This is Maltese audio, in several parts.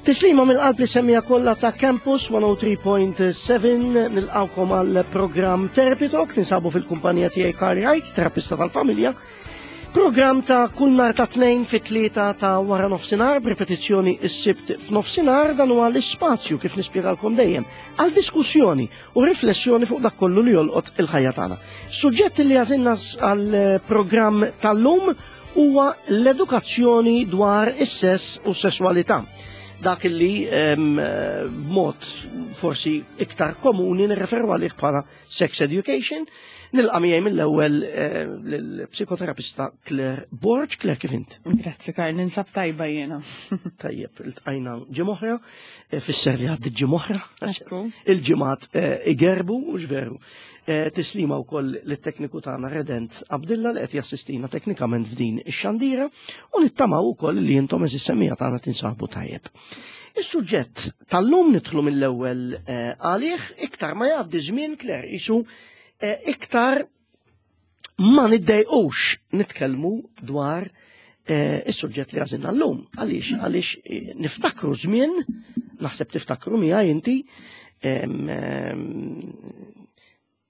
Tislima mill-qalb li semmija kollha ta' Campus 103.7 nilqawkom għal programm Therapy Talk ninsabu fil-kumpanija tiegħi Carl Wright, terapista tal-familja. Programm ta' kull nhar ta' tnejn fit-tlieta ta' wara nofsinhar b'ripetizzjoni s-sibt f'nofsinhar dan huwa l-ispazju kif nispjegalkom dejjem għal diskussjoni u riflessjoni fuq dak kollu li jolqot il-ħajja tagħna. Suġġett li għażilna għal programm tal-lum huwa l-edukazzjoni dwar is-sess u s-sesswalità. Dak li b'mod forsi iktar komuni nirreferu għalih bħala sex education. Nilqa' miegħi mill-ewwel eh, l-psikoterapista Claire Borg. Claire kif int? Grazzi Karl, ninsab tajba jiena. Tajjeb, iltqajna ġimgħa eh, fisser li għaddi ġimgħa Il-ġimgħat eh, igerbu u veru. Eh, tislima wkoll lit-tekniku tagħna Redent Abdilla li qed jassistina teknikament f'din ix-xandira u nittamaw ukoll li intom eżis semmija tagħna tinsabu tajjeb. Is-suġġett tal-lum nidħlu mill-ewwel eh, għalih iktar ma jgħaddi żmien Kler isu eh, iktar ma niddejqux nitkellmu dwar is-suġġett li għażilna llum. Għaliex għaliex niftakru żmien, naħseb tiftakru miegħi inti,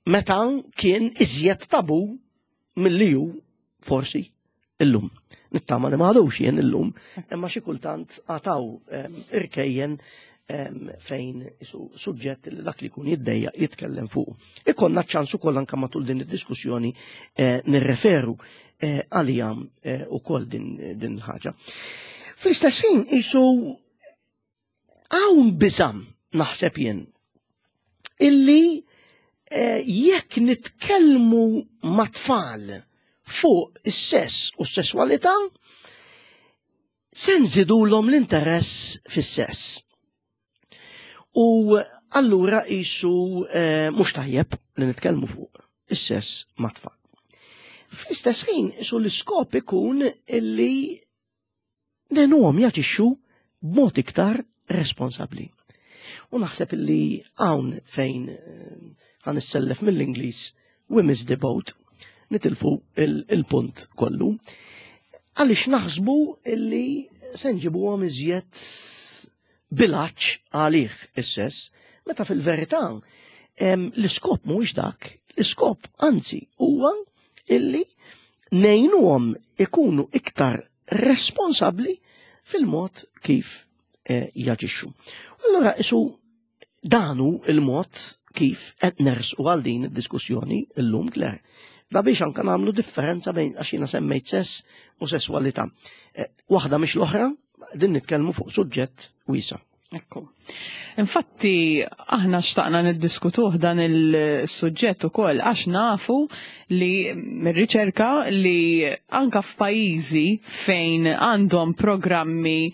meta kien iżjed tabu milli hu forsi illum. Nittama li m'għadux jien illum, imma xi kultant għataw irkejjen fejn suġġett li dak li jkun jiddejja jitkellem fuq. Ikonna ċans ukoll anke matul din id-diskussjoni eh, nirreferu eh, għalija eh, ukoll din il-ħaġa. Fl-istess ħin isu hawn biżam naħseb jien illi eh, jekk nitkellmu ma' tfal fuq is-sess u s-sesswalità se nżidulhom l-interess fis-sess. U allura qisu eh, mhux tajjeb li nitkellmu fuq is-sess ma' tfal. Fl-istess ħin isu l-iskop ikun illi ngħinuhom jaġixxu b'mod iktar responsabbli. U naħseb illi hawn fejn eh, ħan issellef mill-Ingliż we miss the boat, nitilfu il-punt kollu. Għaliex naħsbu illi se nġibuhom iżjed bilaċ għalih is-sess, meta fil-verità l-iskop mhuwiex dak, l-iskop anzi huwa illi ngħinuhom ikunu iktar responsabbli fil-mod kif eh, jaġixxu. Allura isu danu il-mod kif qed nersqu għal din id-diskussjoni llum Claire. Da biex anka nagħmlu differenza bejn għax jiena semmejt sess u sesswalità. Eh, waħda mhix l-oħra, din nitkellmu fuq suġġett wiesa'. Ekku. Infatti, aħna xtaqna niddiskutuh dan il-suġġett ukoll għax nafu li mir-riċerka li anka f'pajjiżi fejn għandhom programmi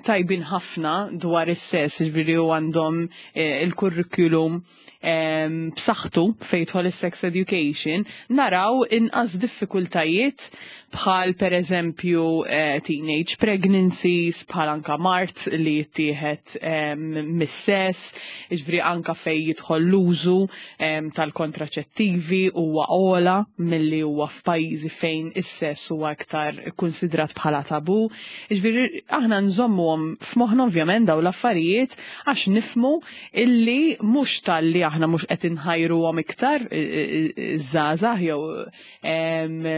tajbin ħafna dwar is-sess, ġifieri u għandhom eh, il-kurrikulum b'saħħtu fejn jidħol is-sex education, naraw inqas diffikultajiet bħal pereżempju eh, teenage pregnancies, bħal anka mart li jittieħed mis-sess, jiġifieri anka fejn jidħol l-użu tal-kontraċettivi huwa ogħla milli huwa f'pajjiżi fejn is-sess huwa iktar ikkunsidrat bħala tabu. Jiġifieri aħna nżommuhom f'moħħna ovvjament dawn l-affarijiet għax nifhmu illi mhux talli aħna mhux qed inħajruhom iktar iż-żgħażagħ jew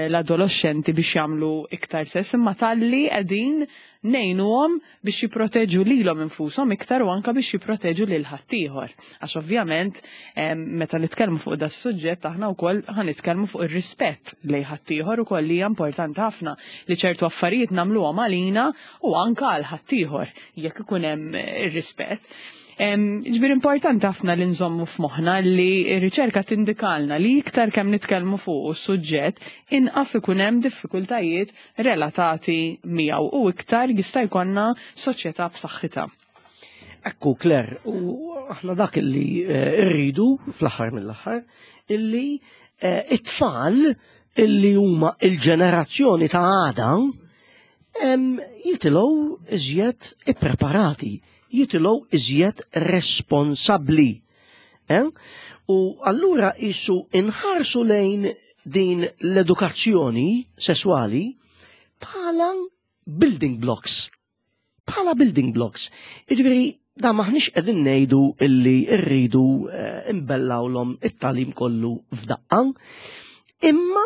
l-adoloxxenti biex jagħmlu iktar sess, imma talli qegħdin ngħinuhom biex jipproteġu lilhom infushom iktar u anke biex jipproteġu lil ħaddieħor. Għax ovvjament meta nitkellmu fuq da suġġett aħna wkoll ħa nitkellmu fuq ir-rispett lejn ħaddieħor ukoll li hija importanti ħafna li ċertu affarijiet nagħmluhom għalina u anke għal ħaddieħor jekk ikun hemm ir-rispett. Ġifieri importanti ħafna li nżommu f'moħħna li r-riċerka tindikalna li iktar kemm nitkellmu fuq is-suġġett, inqas ikun hemm diffikultajiet relatati miegħu u iktar jista' jkollna soċjetà b'saħħitha. Ekku, Claire, u aħna dak li eh, rridu fl-aħħar mill-aħħar, illi eh, it-tfal illi huma il-ġenerazzjoni ta' għada jitilgħu iżjed ippreparati, jitilgħu iżjed responsabbli. Eh? U allura isu inħarsu lejn din l-edukazzjoni sesswali bħala building blocks. Bħala building blocks. Jiġifieri da maħniex qegħdin ngħidu illi rridu eh, imbellawlhom it-tagħlim kollu f'daqqa. Imma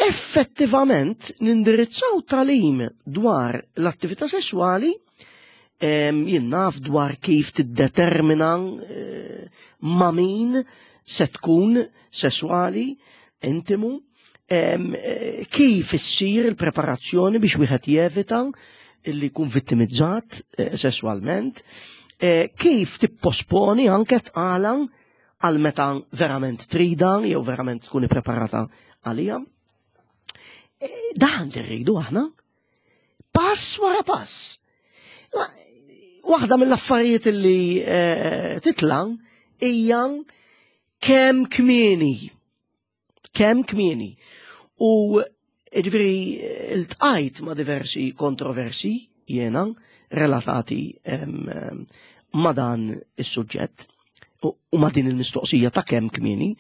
effettivament nindirizzaw tagħlim dwar l-attività sesswali jien naf dwar kif tiddetermina eh, ma' min se tkun sesswali intimu, eh, kif issir il-preparazzjoni biex wieħed jevita illi jkun vittimizzat eh, sesswalment, kif tipposponi anke tqala għal meta verament trida jew verament tkun ippreparata għalija. Dan li rridu aħna. Pass wara pass. Waħda mill-affarijiet li eh, titla hija kemm kmieni. Kemm kmieni. U ġifieri ltqajt ma' diversi kontroversi jiena relatati ma' dan is-suġġett u ma' din il-mistoqsija ta' kemm kmieni,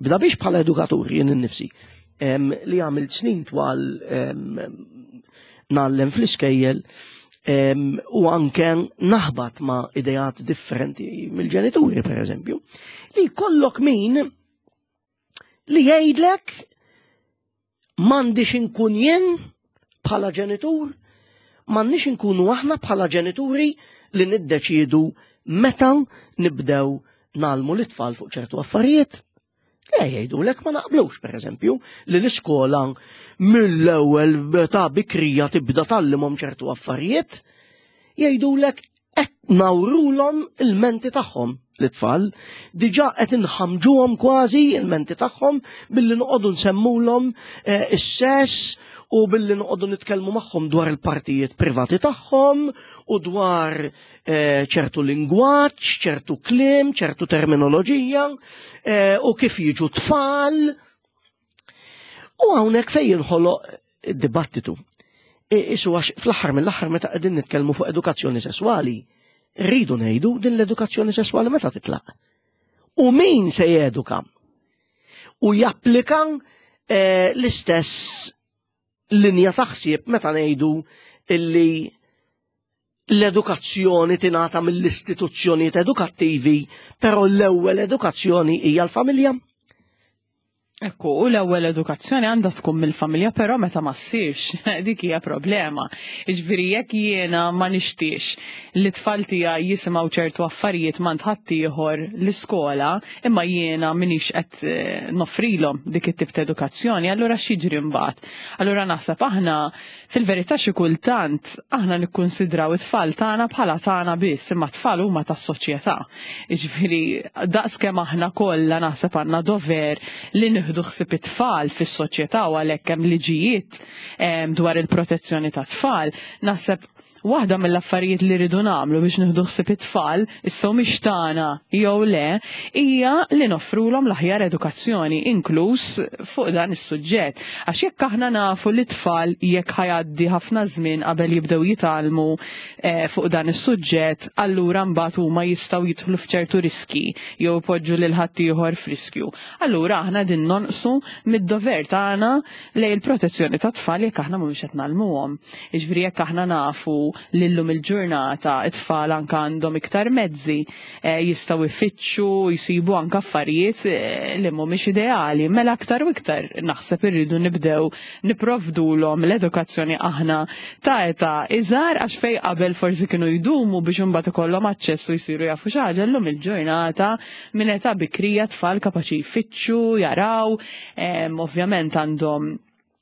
bda biex bħala edukatur jien innifsi li għamilt snin twal ngħallem fl-iskejjel u anke naħbat ma' ideat differenti mill-ġenituri per eżempju, li kollok min li jgħidlek m'għandix inkun jien bħala ġenitur, m'għandniex inkunu aħna bħala ġenituri li niddeċiedu meta nibdew nagħlmu l-itfal fuq ċertu affarijiet. Le jgħidulek ma naqblux, per eżempju, li l-iskola mill-ewwel ta' bikrija tibda tgħallimhom ċertu affarijiet, jgħidulek qed nawrulhom il-menti tagħhom l-itfal, diġà qed inħamġuhom kważi il-menti tagħhom billi noqogħdu nsemmulhom eh, is-sess u billi noqogħdu nitkellmu magħhom dwar il-partijiet privati tagħhom u dwar eh, ċertu lingwaġġ, ċertu kliem, ċertu terminoloġija eh, u kif jiġu tfal. U hawnhekk fejn jinħoloq dibattitu. Isu għax fl-aħħar mill-aħħar meta qegħdin nitkellmu fuq edukazzjoni sesswali, rridu ngħidu din l-edukazzjoni sesswali meta titlaq. U min se jeduka? U japplika eh, l-istess linja ta' ħsieb meta ngħidu illi l-edukazzjoni tingħata mill-istituzzjonijiet edukattivi, però l-ewwel edukazzjoni hija l-familja. Ekku, u l-ewwel edukazzjoni għandha tkun mill-familja, però meta ma ssirx, dik hija problema. Jiġifieri jekk jiena ma nixtiex li t-tfal tiegħi jisimgħu ċertu affarijiet m'għand ħaddieħor l-iskola, imma jiena m'iniex qed eh, noffrilhom dik it-tip ta' edukazzjoni, allura x'jiġri mbagħad? Allura naħseb aħna Fil-verità xi kultant aħna nikkunsidraw it-tfal tagħna bħala tagħna biss, imma t-tfal huma tas-soċjetà. Jiġifieri daqs kemm aħna kollha naħseb għandna dover li nieħdu ħsieb it-tfal fis-soċjetà u għalhekk hemm liġijiet dwar il-protezzjoni tat-tfal, naħseb Waħda mill-affarijiet li rridu nagħmlu biex nieħdu ħsieb it-tfal, issa humiex tagħna jew le, hija li noffrulhom l-aħjar edukazzjoni, inkluż fuq dan is-suġġett. Għax jekk aħna nafu li t-tfal jekk ħa jgħaddi ħafna żmien qabel jibdew jitgħallmu eh, fuq dan is-suġġett, allura mbagħad huma jistgħu jidħlu f'ċertu riski jew ipoġġu lil ħaddieħor f'riskju. Allura aħna din nonqsu mid-dover tagħna lejn il-protezzjoni tat-tfal jekk aħna mhumiex qed ngħallmuhom. Jiġifieri jekk aħna nafu li llum il-ġurnata t-tfal anke għandhom iktar mezzi eh, jistgħu jfittxu, jsibu anke affarijiet eh, li mhumiex ideali, mela aktar u iktar naħseb irridu nibdew nipprovdulhom l-edukazzjoni aħna ta' età iżgħar għax fej qabel forsi kienu jdumu biex imbagħad ikollhom aċċess u jsiru jafu xi ħaġa llum il-ġurnata minn età bikrija tfal kapaċi jfittxu, jaraw, ovvjament għandhom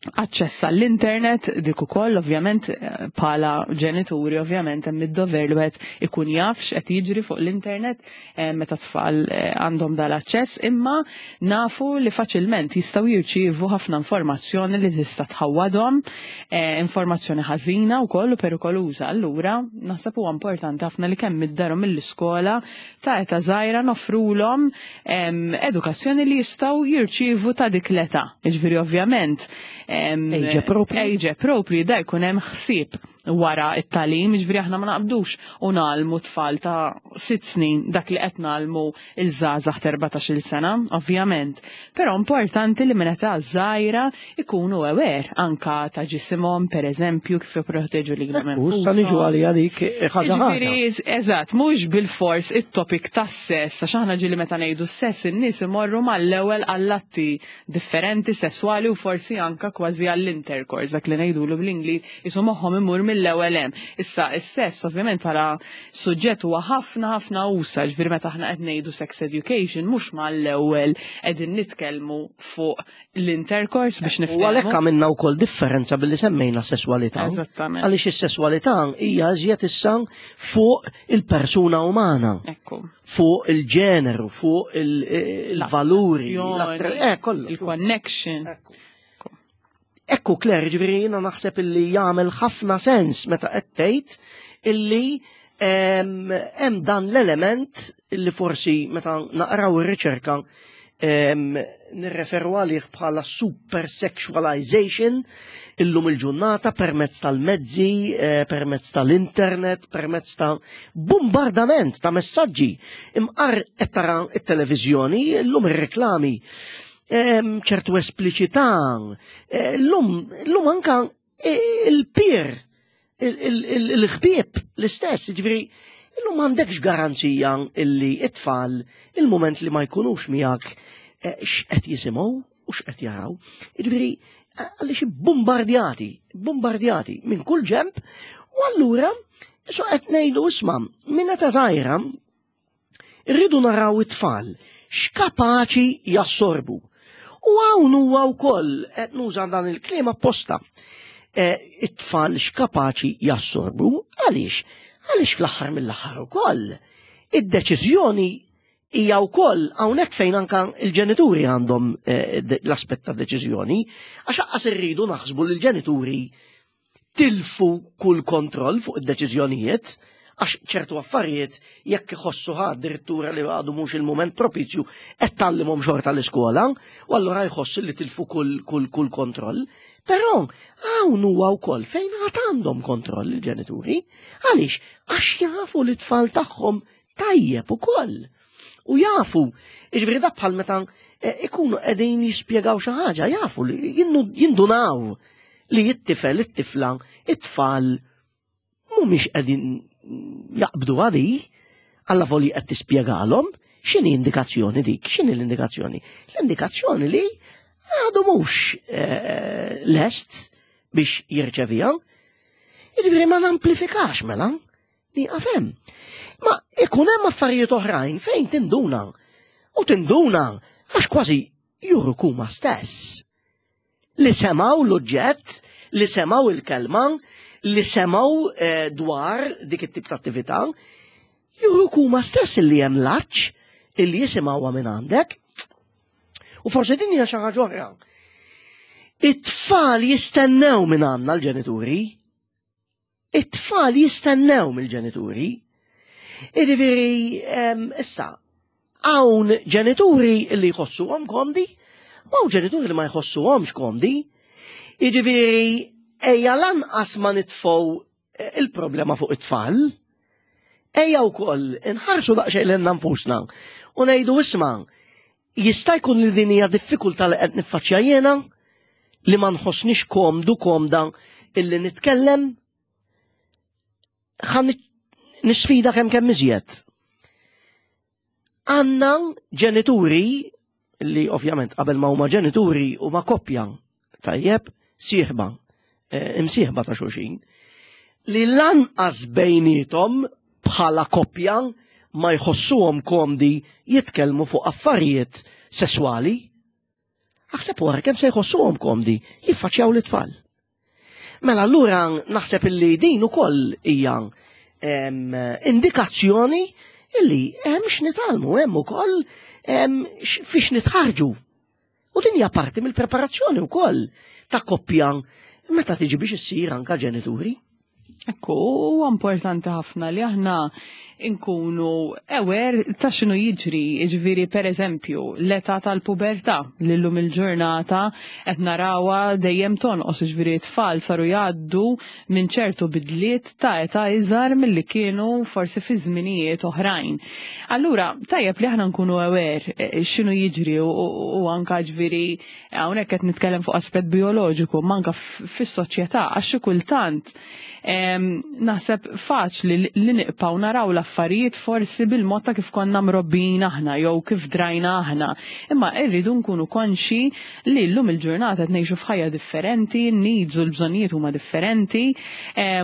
aċċess għall-internet dik ukoll ovvjament eh, bħala ġenituri ovvjament hemm id-dover li wieħed ikun jaf x'qed jiġri fuq l-internet eh, meta tfal eh, għandhom dal-aċċess imma nafu li faċilment jistgħu jirċievu ħafna informazzjoni li tista' tħawwadhom informazzjoni ħażina wkoll u perikoluża. Allura naħseb huwa importanti ħafna li kemm id-dar u mill-iskola ta' età żgħira noffrulhom edukazzjoni li jistgħu jirċievu ta' dik l-età. Jiġifieri ovvjament age appropriate. Age appropriate da jkun hemm ħsieb. wara it-tagħlim, jiġifieri aħna ma naqbdux u nagħlmu tfal ta' 6 snin dak li qed nagħlmu il-żgħażagħ 14-il sena, ovvjament. Però importanti li minn età żgħira ikunu aware anka ta' ġisimhom, per eżempju, kif jipproteġu lilhom. U sa niġu għalija dik ħaġa ħaġa. Ġifieri, eżatt, mhux bil-fors it-topic tas-sess, għax aħna ġieli meta ngħidu sess in-nies imorru mal-ewwel għall-atti differenti sesswali u forsi anka kważi għall-intercourse, dak li ngħidulu bl-Ingliż, isu moħħhom imur mill-ewwel hemm. Issa is-sess ovvjament bħala suġġett huwa ħafna ħafna usa, ġifieri meta aħna qed ngħidu sex education mhux mal-ewwel qegħdin nitkellmu fuq l-intercourse biex U niftehmu. għalhekk għamilna wkoll differenza billi semmejna sesswalità. Eżattament. Għaliex is-sesswalità hija iżjed issa fuq il-persuna umana, Ekku. fuq il-ġeneru, fuq il-valuri, L-attrazzjoni, kollu. Il-connection. Ekku. Ekku, Claire, ġifieri jiena naħseb illi jagħmel ħafna sens meta qed tgħid illi hemm dan l-element illi forsi meta naqraw ir-riċerka nirreferu għalih bħala super sexualization illum il-ġurnata permezz tal-mezzi, permezz tal-internet, permezz ta' bombardament ta' messaġġi. Imqar qed tara it-televiżjoni, illum ir-reklami, ċertu espliċità, llum anka il-peer, il-ħbieb l-istess, ġifieri, illum m'għandekx garanzija illi it-tfal il-moment li ma jkunux miegħek x'qed jisimgħu u x'qed jaraw. Ġifieri, għaliex bombardjati, bombardjati minn kull ġemp, u allura so qed ngħidu isma' minn meta żgħira irridu naraw it-tfal x'kapaċi jassorbu. U hawn huwa wkoll qed nuża dan il-kliem apposta. It-tfal x'kapaċi jassorbu, għaliex? Għaliex fl-aħħar mill-aħħar ukoll id-deċiżjoni hija wkoll hawnhekk fejn anka il-ġenituri għandhom l-aspett ta' deċiżjoni, għax aqqas irridu naħsbu li l-ġenituri tilfu kull kontroll fuq id-deċiżjonijiet, għax ċertu affarijiet jekk iħossu addirittura li għadu mhux il-moment propizju qed tgħallimhom xorta l-iskola, u allura jħossu li tilfu kull kontroll. Però hawn huwa wkoll fejn għad għandhom kontroll il-ġenituri, għaliex għax jafu li tfal tagħhom tajjeb ukoll. U jafu, jiġifieri da bħal meta ikunu qegħdin jispjegaw xi ħaġa, jafu li jindunaw li it-tifel, it-tifla, it-tfal mhumiex qegħdin jaqbdu għadi, alla voli qed tispjegalhom x'inhi indikazzjoni dik, x'inhi l-indikazzjoni? L-indikazzjoni li għadu mhux lest biex jirċevija. Jiġifieri ma namplifikax mela, nieqaf hemm. Ma ikun hemm affarijiet oħrajn fejn tinduna. U tinduna għax kważi juruk huma stess. Li semgħu l-oġġett, li semgħu il-kelma, li semgħu dwar dik it-tip ta' attività, juruk huma stess li hemm laċ illi jisimgħuha minn għandek. U forsi din hija xi ħaġa oħra. It-tfal jistennew minn għandna l-ġenituri. It-tfal jistennew mill-ġenituri. Jiġifieri, issa, hawn ġenituri li jħossuhom komdi, u hawn ġenituri li ma jħossuhomx komdi. Jiġifieri, ejja lanqas ma nitfgħu il-problema fuq it-tfal, ejja wkoll inħarsu daqsxejn lilna nfusna u ngħidu isma' jista' jkun li din hija diffikultà li qed niffaċċja jiena li ma nħossnix komdu komda illi nitkellem ħa nisfida kemm kemm iżjed. Għandna ġenituri li ovvjament qabel ma huma ġenituri huma koppja tajjeb sieħba, imsieħba ta' xulxin, li lanqas bejnietom bħala koppja ma jħossuhom komdi jitkellmu fuq affarijiet sesswali. Aħseb wara kemm se jħossuhom komdi jiffaċċjaw l-tfal. Mela allura naħseb illi din ukoll hija indikazzjoni illi hemm x'nitgħallmu, hemm ukoll fiex nitħarġu. U din hija parti mill-preparazzjoni wkoll ta' koppja meta tiġi biex issir anka ġenituri. Ekku, huwa importanti ħafna li aħna Inkunu aware ta' x'inhu jiġri, jiġifieri pereżempju l-età tal-pubertà li llum il-ġurnata qed narawha dejjem tonqos, jiġifieri t-tfal saru jgħaddu minn ċertu bidliet ta' età iżgħar milli kienu forsi fi żminijiet oħrajn. Allura tajjeb li aħna nkunu aware eh, x'inhu jiġri u anka ġifieri hawnhekk qed nitkellem fuq aspett bioloġiku, ma anka fis-soċjetà għax xi kultant naħseb faċli li niqpaw naraw l-affarijiet forsi bil-mod ta' kif konna mrobbijin aħna jew kif drajna aħna. Imma rridu nkunu konxi li llum il-ġurnata qed ngħixu f'ħajja differenti, n-needs u l-bżonnijiet huma differenti,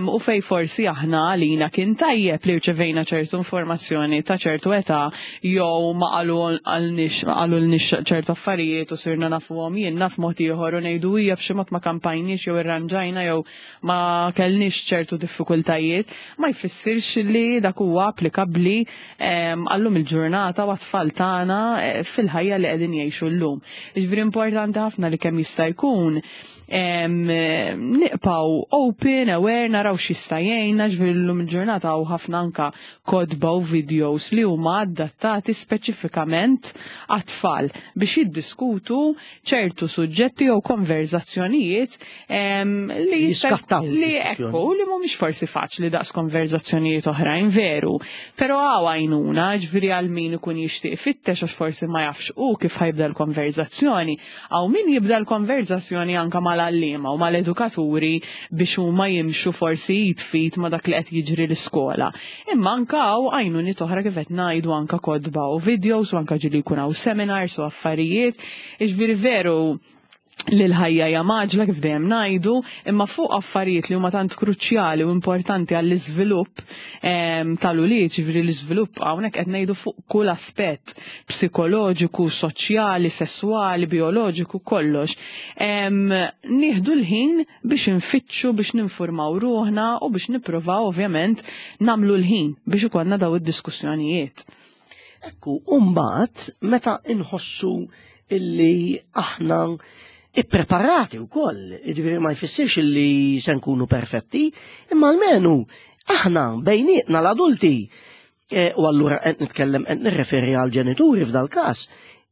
u fej forsi aħna għalina kien tajjeb li rċevejna ċertu informazzjoni ta' ċertu età jew ma qalulniex ċertu affarijiet u sirna nafuhom jien naf mod ieħor u ngħidu hija b'xi mod ma kampajniex jew irranġajna jew ma kellniex ċertu diffikultajiet, ma jfissirx li dak huwa applikabbli għallum il-ġurnata u għat-tfal tagħna eh, fil-ħajja li qegħdin jgħixu llum. Jiġifieri importanti ħafna li kemm jista' jkun niqpaw open, aware, naraw x'jista' jgħinna, ġifieri llum il-ġurnata hawn ħafna anka kotba u videos li huma adattati speċifikament għat-tfal biex jiddiskutu ċertu suġġetti jew konverzazzjonijiet li jiskattaw li ekku li mhumiex forsi faċli daqs konverzazzjonijiet oħrajn veru. Però hawn għajnuna, ġifieri għal min ikun jixtieq ifittex għax forsi ma jafx u kif ħajbda l-konverzazzjoni, hawn min jibda l-konverzazzjoni anka mal-għalliema u mal-edukaturi biex huma jimxu forsi jitfit ma dak li qed jiġri l-iskola. Imma anka hawn għajnuniet oħra kif qed ngħidu anka kotba u videos u anka ġieli jkun hawn seminars u affarijiet. Jiġifieri veru li l-ħajja hija maġla kif dejjem ngħidu, imma fuq affarijiet li huma tant kruċjali u importanti għall-iżvilupp ehm, tal-ulied, ġifieri l-iżvilupp hawnhekk qed ngħidu fuq kull aspett psikoloġiku, soċjali, sesswali, bioloġiku, kollox. Ehm, nieħdu l-ħin biex infittxu, biex ninfurmaw ruħna u biex nippruvaw ovvjament nagħmlu l-ħin biex ikollna daw id-diskussjonijiet. Ekku, mbagħad meta inħossu illi aħna ippreparati wkoll, jiġifieri ma jfissirx illi se nkunu perfetti, imma almenu aħna bejnietna l-adulti e, u allura qed nitkellem qed nirreferi għal ġenituri f'dal każ,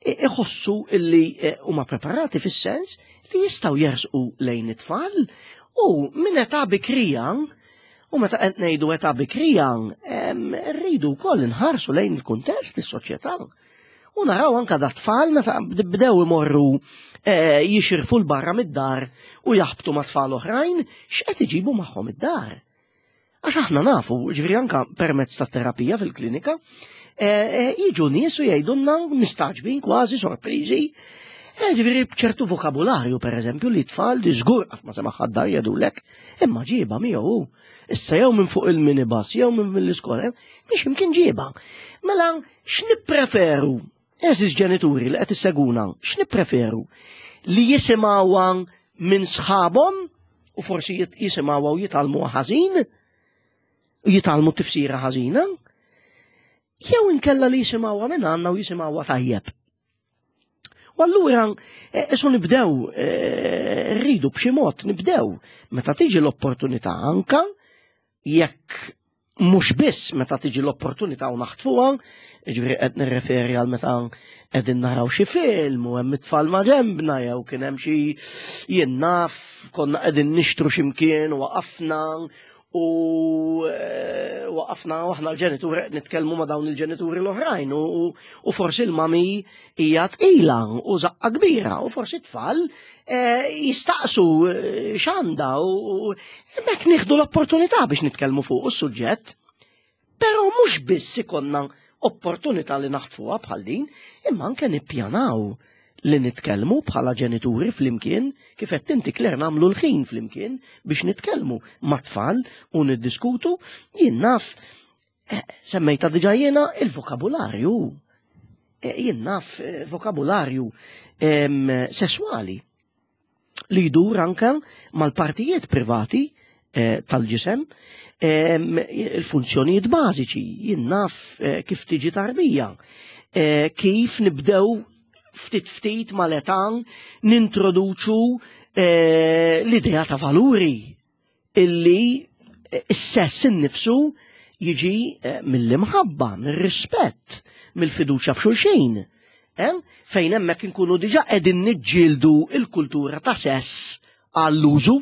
iħossu illi e, huma preparati fis-sens li jistgħu jersqu lejn it-tfal u minn età bikrija U meta qed ngħidu età bikrija, rridu wkoll inħarsu lejn il-kuntest is-soċjetà. U naraw anka da tfal meta bdew imorru eh, jixirfu l-barra mid-dar u jaħbtu ma' tfal oħrajn, x'qed iġibu magħhom id-dar. Għax aħna nafu, ġifieri anka permezz ta' terapija fil-klinika, eh, eh, jiġu nies u jgħidulna mistaġbin kważi sorpriżi Ġifieri b'ċertu vokabularju, per eżempju, li tfal li żgur qatt ma semaħ dar jgħidulek, imma ġieba miegħu hu. Issa jew minn fuq il-minibus, jew minn mill-iskola, biex imkien ġieba. Mela, x'nippreferu? Eżis ġenituri li qed isseguna, x'nippreferu? Li jisimgħuha minn sħabhom u forsi jisimgħuha u jitgħallmuha ħażin, u jitgħallmu tifsira ħażina, jew inkella li jisimgħuha minn għandna u jisimgħuha tajjeb. U allura isu eh, nibdew eh, rridu b'xi mod nibdew meta tiġi l-opportunità anka jekk mhux biss meta tiġi l-opportunità u naħtfuha, ġifieri qed nirreferi għal meta qegħdin naraw xi film u hemm it-tfal ma' ġembna jew kien hemm xi jien naf konna qegħdin nixtru xi mkien u waqafna U eh, waqafna u aħna l-ġenituri nitkellmu ma' dawn il-ġenituri l-oħrajn u forsi l-mami hija tqila u zaqqa kbira u forsi tfal eh, jistaqsu eh, x'għandha u hemmhekk nieħdu l-opportunità biex nitkellmu fuq is-suġġett. Però mhux biss ikonna opportunità li naħtfuha bħal din, imma anke nippjanaw li nitkellmu bħala ġenituri flimkien, kif qed inti Claire nagħmlu l-ħin flimkien biex nitkellmu mat-tfal u niddiskutu, jien naf eh, semmejta diġà jiena il-vokabularju. Eh, jien naf eh, vokabularju sesswali li jdur anke mal-partijiet privati eh, tal-ġisem, il-funzjonijiet bażiċi, jien naf eh, kif tiġi tarbija, eh, kif nibdew ftit ftit mal-età nintroduċu l-idea ta' valuri illi s-sess innifsu jiġi eh, mill-imħabba, mir-rispett, mill-fiduċja f'xulxin. Eh? Fejn hemmhekk inkunu diġà qegħdin niġġieldu il-kultura ta' sess għall-użu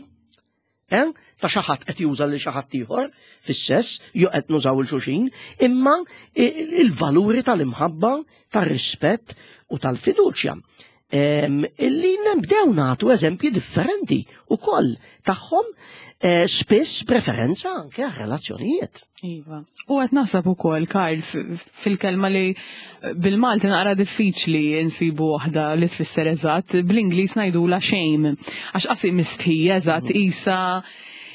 eh? ta' xi ħadd qed juża lil xi ħadd ieħor fis-sess, jew qed nużaw il xulxin, imma il-valuri tal-imħabba, tar-rispett u tal-fiduċja. Illi nibdew nagħtu eżempji differenti ukoll tagħhom eh, spiss preferenza anke għal relazzjonijiet. Iva. U qed naħseb ukoll Karl fil-kelma li eh, bil-Malti naqra diffiċli nsibu waħda li tfisser eżatt, bl-Ingliż ngħidula shame. Għax qasi mistħija eżatt mm. isa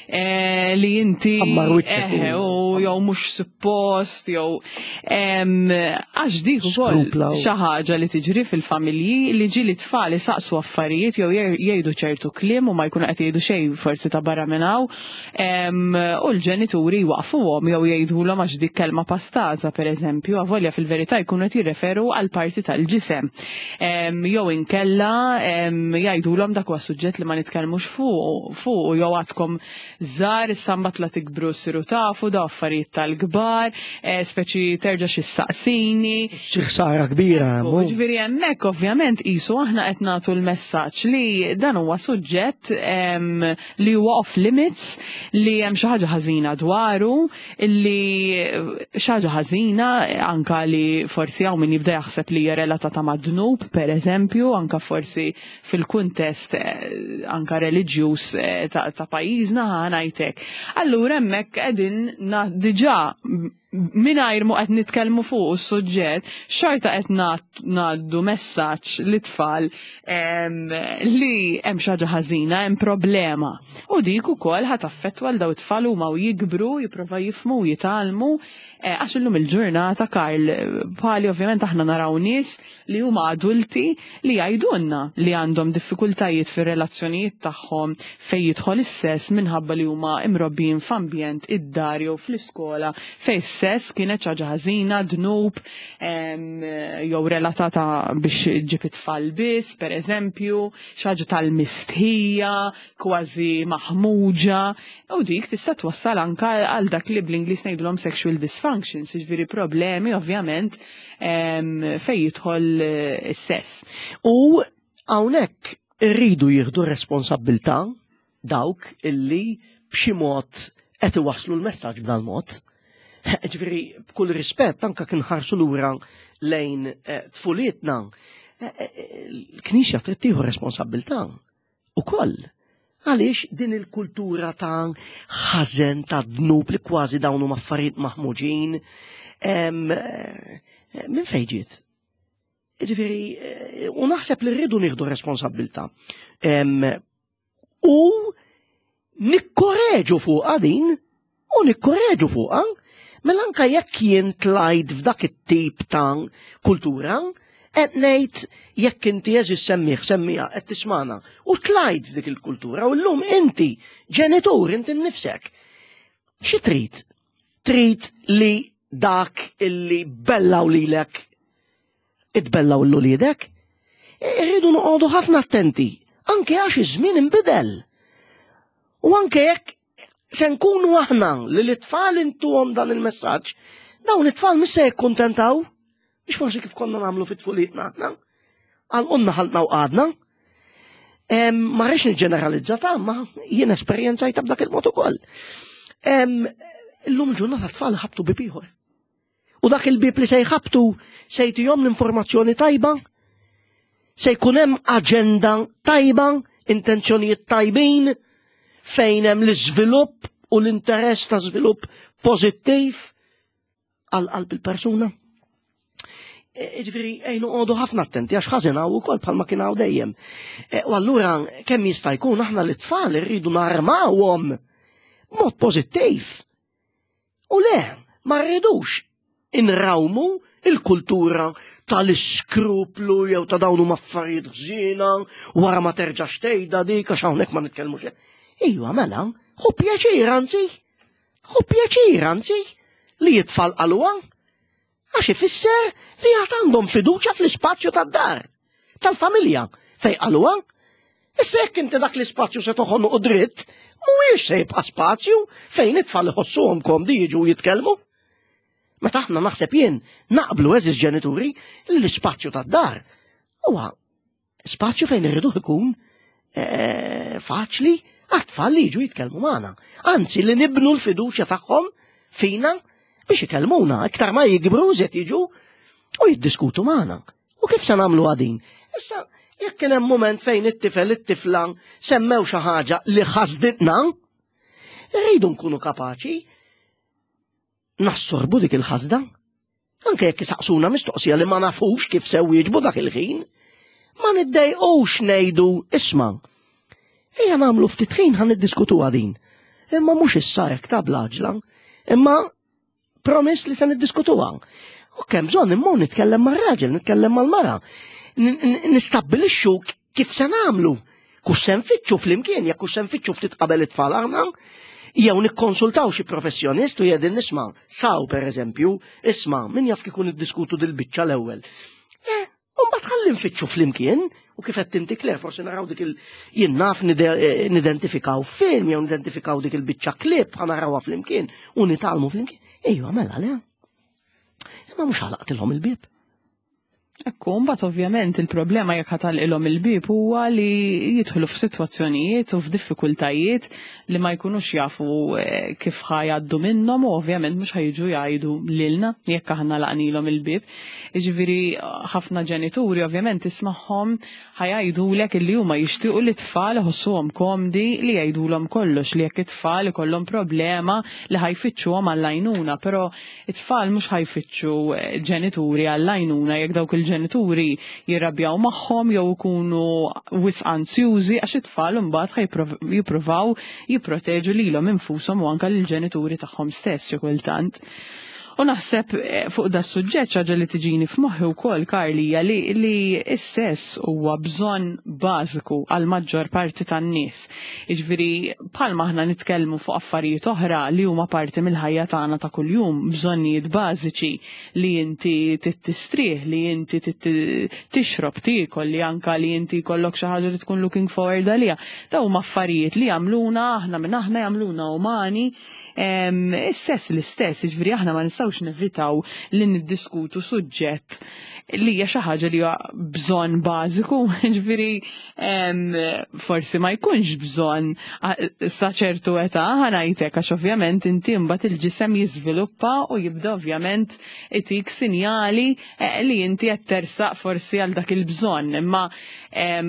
eh, li inti eh, u jew mhux suppost jew għax dik ukoll xi ħaġa li tiġri fil-familji li ġieli tfal isaqsu affarijiet jew jgħidu ċertu kliem u ma jkunu qed jgħidu xejn forsi ta' barra minn hawn u l-ġenituri jwaqfuhom jew jgħidulhom għax dik kelma pastaża pereżempju, avolja fil-verità jkunu qed jirreferu għal parti tal-ġisem. Jew inkella jgħidulhom dak huwa suġġett li ma nitkellmux fuq jew għadkom żgħar issa mbagħad la tikbru ssiru tafu daw affarijiet tal-kbar, eh, speċi terġa' xi ssaqsini. Xi ħsara kbira. Ġifieri hemmhekk ovvjament qisu aħna qed nagħtu l-messaġġ li dan huwa suġġett li huwa off limits, li hemm xi ħaġa ħażina dwaru, li xi ħaġa ħażina anka li forsi hawn min jibda jaħseb li hija relatata ma' dnub, per eżempju, anka forsi fil-kuntest eh, anka reliġjuż eh, ta', ta pajjiżna ħanajtek. Allura hemmhekk qegħdin diġà mingħajr mu qed nitkellmu fuq is-suġġett, xorta qed ngħaddu messaġġ li tfal li hemm xi ħaġa ħażina, hemm problema. U dik ukoll ħa taffettwa l daw it-tfal huma u jikbru, jipprova jifhmu u jitgħallmu eh, għax illum il-ġurnata Karl bħali ovvjament aħna naraw nies li huma adulti li jgħidulna li għandhom diffikultajiet fir-relazzjonijiet tagħhom fejn jidħol is-sess minħabba li huma imrobbijin f'ambjent id-dar jew fl-iskola fejn is-sess kienet xi ħaġa ħażina, dnub, jew relatata biex ġib it-tfal biss, pereżempju, xi ħaġa tal-mistħija, kważi maħmuġa, u dik tista' twassal anka għal dak li bl-Ingliż ngħidulhom sexual dysfunctions, jiġifieri problemi ovvjament fejn jidħol eh, is-sess. U hawnhekk irridu jieħdu responsabbiltà dawk illi b'xi mod qed iwasslu l-messaġġ b'dan mod. Ġifieri b'kull rispett anke kien ħarsu lura lejn eh, tfulietna, eh, l-Knisja trid tieħu responsabbiltà ukoll. Għaliex din il-kultura ta' ħażen ta' dnub li kważi dawn huma affarijiet maħmuġin, eh, minn fejn ġiet? Ġifieri, eh, u naħseb li rridu nieħdu responsabbiltà. U nikkoreġu fuqha din u nikkoreġu fuqha mela anka jekk jien tlajt f'dak it-tip ta' kultura, qed ngħid jekk inti eżis semmih semmija qed tismana u tlajt f'dik il-kultura u llum inti ġenitur inti nnifsek. Xi trid? Trid li dak illi bellaw lilek itbellaw l-uliedek? Irridu noqogħdu ħafna attenti, anke għax iż-żmien inbidel. U anke jekk se nkunu aħna li l-itfal intuhom dan il-messaġġ, dawn it-tfal mhux se jikkuntentaw, biex forsi kif konna nagħmlu fit-tfulitna aħna. Għal ħaltna u qgħadna. Ma rridx niġġeneralizza ta' ma jien esperjenzajta b'dak il-mod ukoll. Illum ġurnata tfal ħabtu bib ieħor. U dak il-bib li se jħabtu se jtihom l-informazzjoni tajba, se jkun hemm aġenda tajba, intenzjonijiet tajbin, fejn hemm l-iżvilupp u l-interess ta' żvilupp pożittiv għal qalb il-persuna. E, ġifieri ejnu għodu ħafna attenti għax ħażin hawn ukoll bħalma kien hawn dejjem. E, u allura kemm jista' jkun aħna l-tfal irridu narmawhom mod pożittiv. U le, ma rridux inrawmu il-kultura tal-iskruplu jew ta' dawn huma affarijiet ħżiena wara ma terġax tgħidha dik għax hawnhekk ma nitkellmux. Iva mela, hu pjaċir anzi, hu pjaċir anzi li jitfal qaluha Għax ifisser li għad għandhom fiduċja fl-ispazju tad-dar, tal-familja, fej qaluha. Issa jekk inti dak l-ispazju se toħonqu dritt, mhuwiex se jibqa' spazju fejn it-tfal iħossuhom komdi jiġu jitkellmu. Meta aħna naħseb jien naqblu eżis ġenituri li l-ispazju tad-dar huwa spazju fejn irridu ikun eh, faċli għat-tfal li jiġu jitkellmu magħna. Anzi li nibnu l-fiduċja tagħhom fina biex ikellmuna, iktar ma jikbru żed jiġu u jiddiskutu magħna. U kif se nagħmlu għadin? Issa, jekk kien hemm mument fejn it-tifel it-tifla semmew xi ħaġa li ħasditna, rridu nkunu kapaċi nassorbu dik il-ħasda. Anke jekk isaqsuna mistoqsija li ma nafux kif se wieġbu dak il-ħin, ma niddejqux ngħidu isma' ejja nagħmlu ftit ħin ħan niddiskutuha din. Imma mhux issa hekk ta' blaġla, imma promiss li se niddiskutuha. U kemm bżonn immur nitkellem mar-raġel, nitkellem mal-mara. Nistabbilixxu kif se nagħmlu. Kux se nfittxu flimkien, jekk kux se nfittxu ftit qabel it-tfal aħna, jew nikkonsultaw xi professjonist u jedin nisma' saw pereżempju, isma' min jaf kieku niddiskutu dil-biċċa l-ewwel. Eh, u mbagħad ħalli nfittxu flimkien u kif qed inti Claire forsi naraw dik il jien naf eh, nidentifikaw film jew nidentifikaw dik il-biċċa klip ħa narawha flimkien u nitgħallmu flimkien. Ejwa mela le. Imma mhux ħalaqtilhom il-bieb. Ekku, mbagħad ovvjament il-problema jekk ħatalqilhom il-bieb huwa li jidħlu f'sitwazzjonijiet u f'diffikultajiet li ma jkunux jafu eh, kif ħajaddu minnhom u ovvjament mhux ħajġu jgħidu lilna jekk aħna laqnilhom il-bieb. Jiġifieri ħafna ġenituri ovvjament tismagħhom ħajgħidulek illi huma jixtiequ li t-tfal iħossuhom komdi li jgħidulhom kollox li jekk it-tfal ikollhom problema li ħajfittxuhom għall-għajnuna, però It-tfal mhux ħa jfittxu ġenituri għall-għajnuna jekk dawk il-ġenituri jirrabjaw magħhom jew ikunu wisq anzjużi għax it-tfal imbagħad ħa jippruvaw jipproteġu lilhom infushom u anke lill-ġenituri tagħhom stess xi kultant. U naħseb eh, fuq da suġġett ħaġa li tiġini f'moħħi wkoll Karli hija li, li s-sess huwa bżonn bażiku għal maġġor parti tan-nies. Jiġifieri bħalma aħna nitkellmu fuq affarijiet oħra li huma parti mill-ħajja tagħna ta' kuljum, bżonnijiet bażiċi li inti tistrieħ, li inti tixrob, tiekol, li anka li inti jkollok xi ħaġa li tkun looking forward għaliha. Dawn huma affarijiet li jagħmluna aħna minn aħna jagħmluna umani. Is-sess l-istess, jiġifieri aħna ma nistgħux nevitaw li niddiskutu suġġett li hija xi ħaġa li huwa bżonn bażiku, jiġifieri forsi ma jkunx bżonn sa ċertu età ħanajtek għax ovvjament inti mbagħad il-ġisem jiżviluppa u jibda ovvjament itik sinjali eh, li inti qed tersaq forsi għal dak il-bżonn. Imma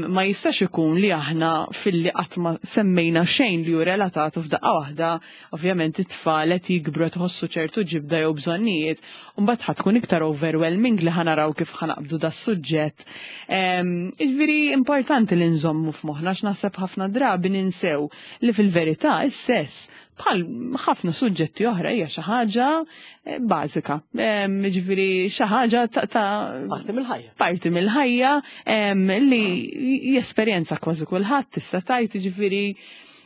ma jistax ikun li aħna filli qatt ma semmejna xejn li hu relatat u f'daqqa waħda ovvjament it-tfal qed jikbru qed iħossu ċertu ġibda jew bżonnijiet u mbagħad ħa tkun iktar overwhelming li ħanaraw kif ħanaqbdu da suġġett. Jiġifieri importanti li nżommu f'moħħna għax naħseb ħafna drabi ninsew li fil-verità is-sess bħal ħafna suġġetti oħra hija xi ħaġa eh, bażika. Jiġifieri xi ħaġa ta' parti mill-ħajja. Parti mill-ħajja li jesperjenza kważi kulħadd tista' tgħid jiġifieri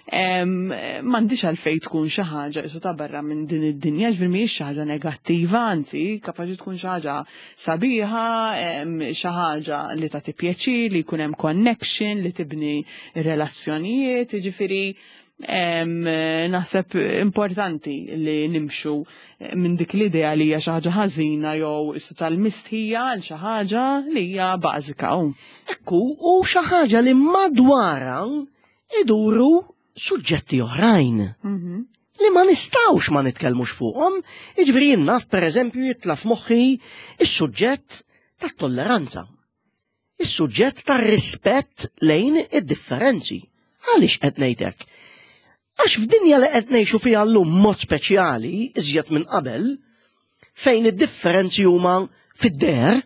M'għandix għalfejn tkun xi ħaġa isu ta' barra minn din id-dinja, ġifieri mhijiex xi ħaġa negattiva, anzi kapaċi tkun xi ħaġa sabiħa, xi ħaġa li tagħti pjaċir, li jkun hemm connection, li tibni relazzjonijiet, jiġifieri naħseb importanti li nimxu minn dik l-idea li hija xi ħaġa ħażina jew isu tal-mistħija għal xi ħaġa li hija bażika. Ekku, u xi ħaġa li madwarha iduru suġġetti oħrajn. Mhm. Li ma nistawx ma nitkellmux fuqhom, jiġifieri jien naf pereżempju jitla' f'moħħi is-suġġett tat-tolleranza. Is-suġġett tar-rispett lejn id-differenzi. Għaliex qed ngħid hekk? Għax f'dinja li qed ngħixu fiha llum mod speċjali iżjed minn qabel, fejn id-differenzi huma fid-deher,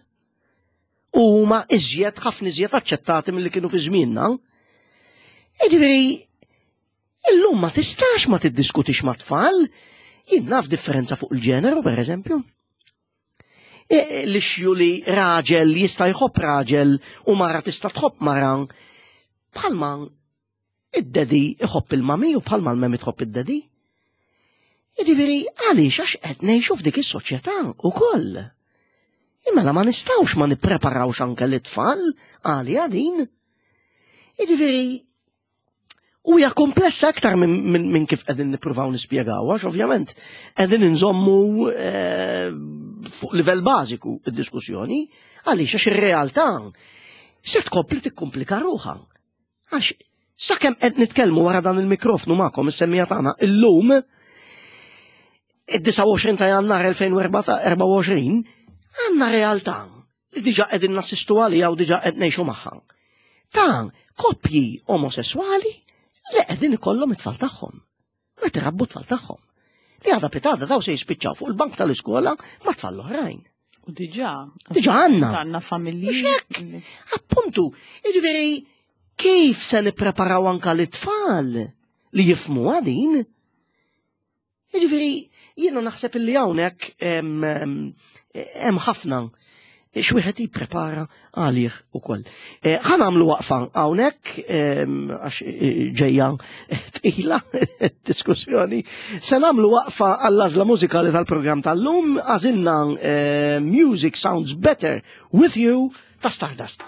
u huma iżjed ħafna iżjed aċċettati milli kienu fi żmienna. Jiġifieri illum ma tistax ma tiddiskutix ma' tfal, jien naf differenza fuq il-ġeneru pereżempju. E, l-ixju li raġel jista' jħobb raġel u mara tista' tħobb mara bħalma Id-daddy iħobb il-mami u bħalma l-mami tħobb id-daddy. Jiġifieri għaliex għax qed ngħixu f'dik is-soċjetà ukoll. Imma ma nistgħux ma nippreparawx anke l-itfal għalija din. Jiġifieri. U hija komplessa aktar minn kif qegħdin nippruvaw nispjegaw, għax ovvjament qegħdin inżommu eh, fuq livell bażiku id-diskussjoni, għaliex għax ir-realtà se tkompli tikkomplika ruħha. Għax sakemm qed nitkellmu wara dan il-mikrofnu magħkom is-semmija tagħna illum id-29 ta' Jannar 2024 għandna realtà li diġa qegħdin nassistu għaliha u diġa qed ngħixu magħha. Ta' koppji omosessuali li qegħdin ikollhom it-tfal tagħhom. U qed irabbu t-tfal tagħhom. Li għada pitada daw se jispiċċaw fuq il-bank tal-iskola ma' tfal l-oħrajn. U diġa. Diġa għandna. Għandna familji. Appuntu, jiġifieri kif se nippreparaw anka l-tfal li jifmu għadin? Jiġifieri jiena naħseb illi hawnhekk hemm ħafna x'wieħed jipprepara għalih ukoll. Eh, ħa nagħmlu waqfa hawnhekk għax eh, ġejja tqila diskussjoni. Se nagħmlu waqfa għall-għażla mużikali tal-programm tal-lum għażilna eh, Music Sounds Better With You ta' Stardust.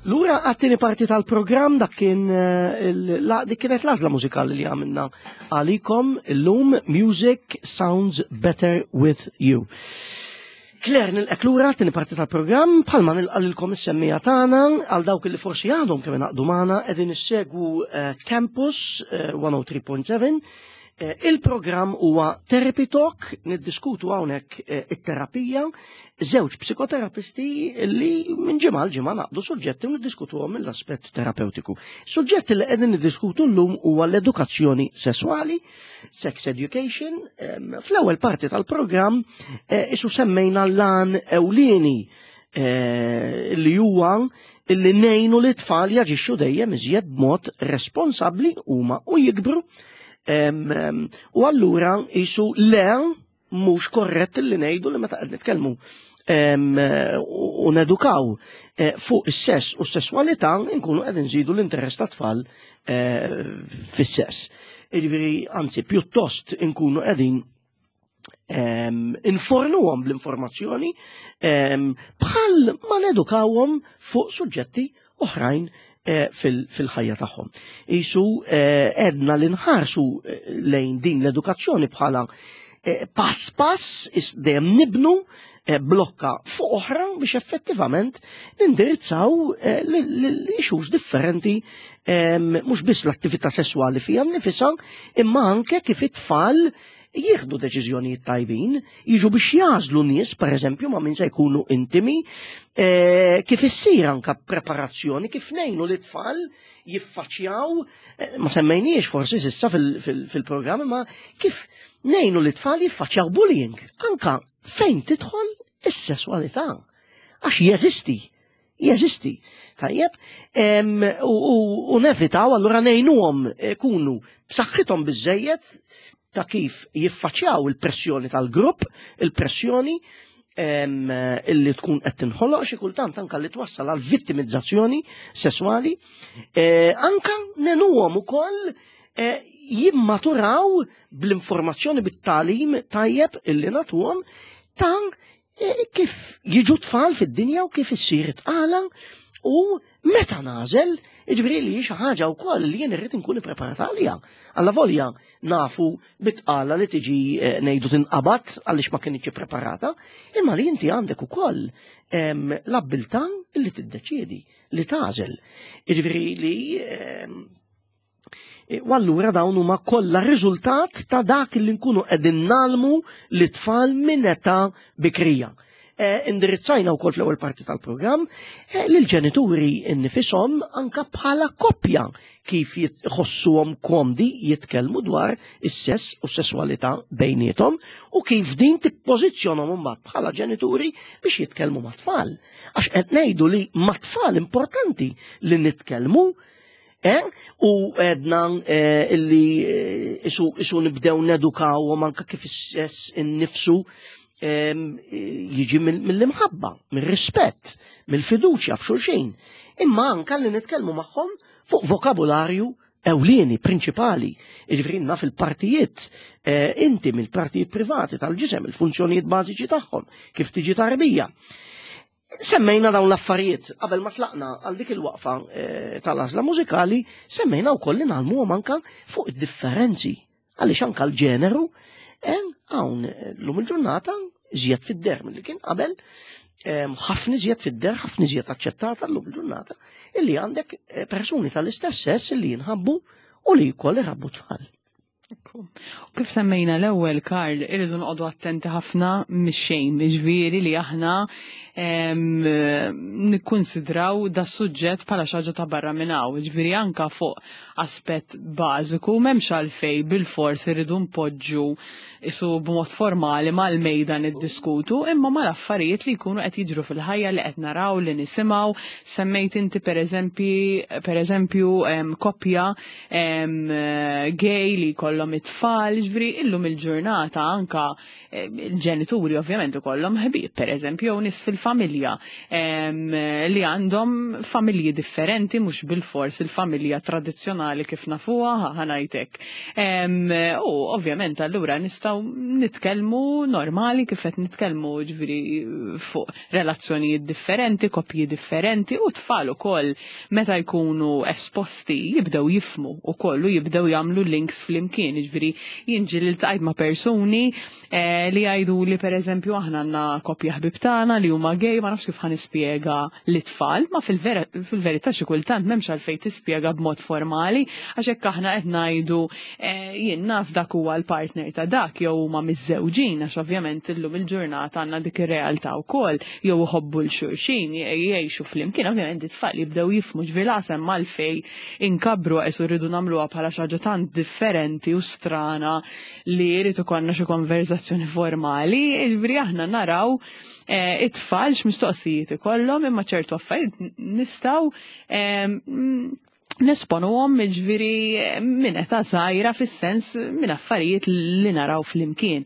Lura għat-tieni parti tal-programm dak kien eh, dik kienet l-għażla mużikali li għamilna għalikom illum Music Sounds Better With You. Claire nilqek lura għat-tieni parti tal-programm bħalma nilqa' lilkom is-semmija tagħna għal dawk li forsi għadhom kemm ingħaqdu magħna qegħdin issegwu eh, Campus 103.7 eh, Eh, il-programm huwa Therapy Talk, niddiskutu hawnhekk eh, it-terapija, żewġ psikoterapisti li minn ġimgħa l ġimgħa naqdu suġġetti u niddiskutuhom mill-aspett terapeutiku. Suġġett li qegħdin niddiskutu llum huwa l-edukazzjoni sesswali, sex education. Fl-ewwel parti tal-programm eh, isu semmejna l-lan ewlieni li huwa li nejnu li tfal jaġixxu dejjem iżjed b'mod responsabbli huma u jikbru. U allura isu le mhux korrett li ngħidu li meta qed nitkellmu u nedukaw eh, fuq is-sess u s-sesswalità nkunu qed nżidu l-interess ta' tfal eh, fis-sess. Jiġifieri anzi pjuttost inkunu qegħdin infornuhom bl-informazzjoni bħal ma nedukawhom fuq suġġetti oħrajn eh, fil-ħajja tagħhom. Isu eh, edna li nħarsu eh, lejn din l-edukazzjoni bħala pass pass dejjem nibnu blokka fuq oħra biex effettivament nindirizzaw l-issues differenti mhux biss l-attività sesswali fija nnifisha imma anke kif it-tfal jieħdu deċiżjonijiet tajbin, jiġu biex jażlu nies, pereżempju, ma' min se jkunu intimi, eh, kif issir anka preparazzjoni, kif ngħinu li tfal jiffaċċjaw, eh, ma semmejniex forsi sissa fil-programm, ma kif ngħinu li tfal jiffaċċjaw bullying, anka fejn tidħol is-sesswalità. Għax jeżisti, jeżisti. Tajjeb, u nevitaw allura ngħinuhom ikunu b'saħħithom biżejjed ta' kif jiffaċċjaw il-pressjoni tal-grupp, il-pressjoni illi tkun qed tinħoloq xi kultant anka li twassal għal vittimizzazzjoni sesswali, eh, anka nenuhom ukoll eh, jimmaturaw bl-informazzjoni bit-talim tajjeb illi nagħtuhom ta' E, kif jiġu tfal fid-dinja u kif issir tqala u meta nażel, jiġifieri li xi ħaġa wkoll li jien irrid inkun ippreparata għaliha. Alla volja nafu bitqala li tiġi e, ngħidu tinqabad għaliex ma kienx ippreparata, imma li inti għandek ukoll l-abbiltà li tiddeċiedi, li tażel. Jiġifieri li E, u allura dawn huma kollha riżultat ta' dak li nkunu qegħdin nalmu li tfal minn età bikrija. E, indirizzajna wkoll fl-ewwel parti tal-programm e, lil ġenituri nnifisom anka bħala koppja kif jħossuhom komdi jitkellmu dwar is-sess u s-sesswalità bejniethom u kif din tippożizzjonhom imbagħad bħala ġenituri biex jitkellmu mat-tfal. Għax qed ngħidu li mat-tfal importanti li nitkellmu Eh? U edna eh, illi eh, isu, isu nibdew nedukaw u manka kif is-sess innifsu ehm, jiġi mill-imħabba, mill-rispett, mill-fiduċja f'xulxin. Imma anka li nitkellmu magħhom fuq vokabularju ewlieni, prinċipali, jiġifieri naf il-partijiet eh, intimi, il-partijiet privati tal-ġisem, il-funzjonijiet bażiċi tagħhom, kif tiġi tarbija. Semmejna dawn l-affarijiet qabel ma tlaqna għal dik il-waqfa eh, tal-għażla mużikali, semmejna wkoll li nagħlmuhom anka fuq id-differenzi għaliex anka l-ġeneru eh, hawn eh, lum il-ġurnata iżjed fid-der milli kien qabel, ħafna iżjed fid-der, ħafna iżjed aċċettata llum il-ġurnata illi għandek persuni tal-istess sess illi jinħabbu u li jkoll irabbu tfal. U kif semmejna l-ewwel, Karl, irridu noqogħdu attenti ħafna mix-xejn, ġifieri li aħna nikkunsidraw da suġġett bħala xi ħaġa ta' barra minn hawn, ġifieri anka fuq aspett bażiku m'hemmx għalfejn bilfors irridu npoġġu isu b'mod formali mal-mejda niddiskutu, imma mal-affarijiet li jkunu qed jiġru fil-ħajja li qed naraw li nisimgħu. Semmejt inti pereżempju koppja gay li jkollhom it-tfal, ġifieri illum il-ġurnata anka il-ġenituri ovvjament ikollhom ħbieb pereżempju jew nies fil familja li għandhom familji differenti mhux bil-fors il-familja tradizzjonali kif nafuha ħanajtek. U ovvjament allura nistgħu nitkellmu normali kif qed nitkellmu ġifieri fuq relazzjonijiet differenti, koppji differenti u tfal ukoll meta jkunu esposti jibdew jifmu ukoll u jibdew jagħmlu links flimkien, ġifieri jien ġieli ltqajt ma' persuni eh, li jgħidu li pereżempju aħna għandna koppja ħbib tagħna li huma gay, ma nafx kif ħa nispjega lit-tfal, ma fil-verità xi kultant m'hemmx għalfejn tispjega b'mod formali għax hekk aħna qed ngħidu eh, jien naf dak huwa l-partner ta' dak jew huma miżżewġin għax ovvjament illum il-ġurnata għandna dik ir-realtà wkoll jew iħobbu l xulxin jgħixu flimkien, ovvjament it-tfal jibdew jifhmu ġifieri l-għasem għalfejn inkabbru għax rridu nagħmluha bħala xi ħaġa tant differenti u strana li jrid ikollna xi konverzazzjoni formali, jiġifieri aħna naraw eh, it-tfal x'mistoqsijiet ikollhom imma ċertu affarijiet nistgħu eh, nesponuhom jiġifieri minn età żgħira fis-sens minn affarijiet li naraw flimkien.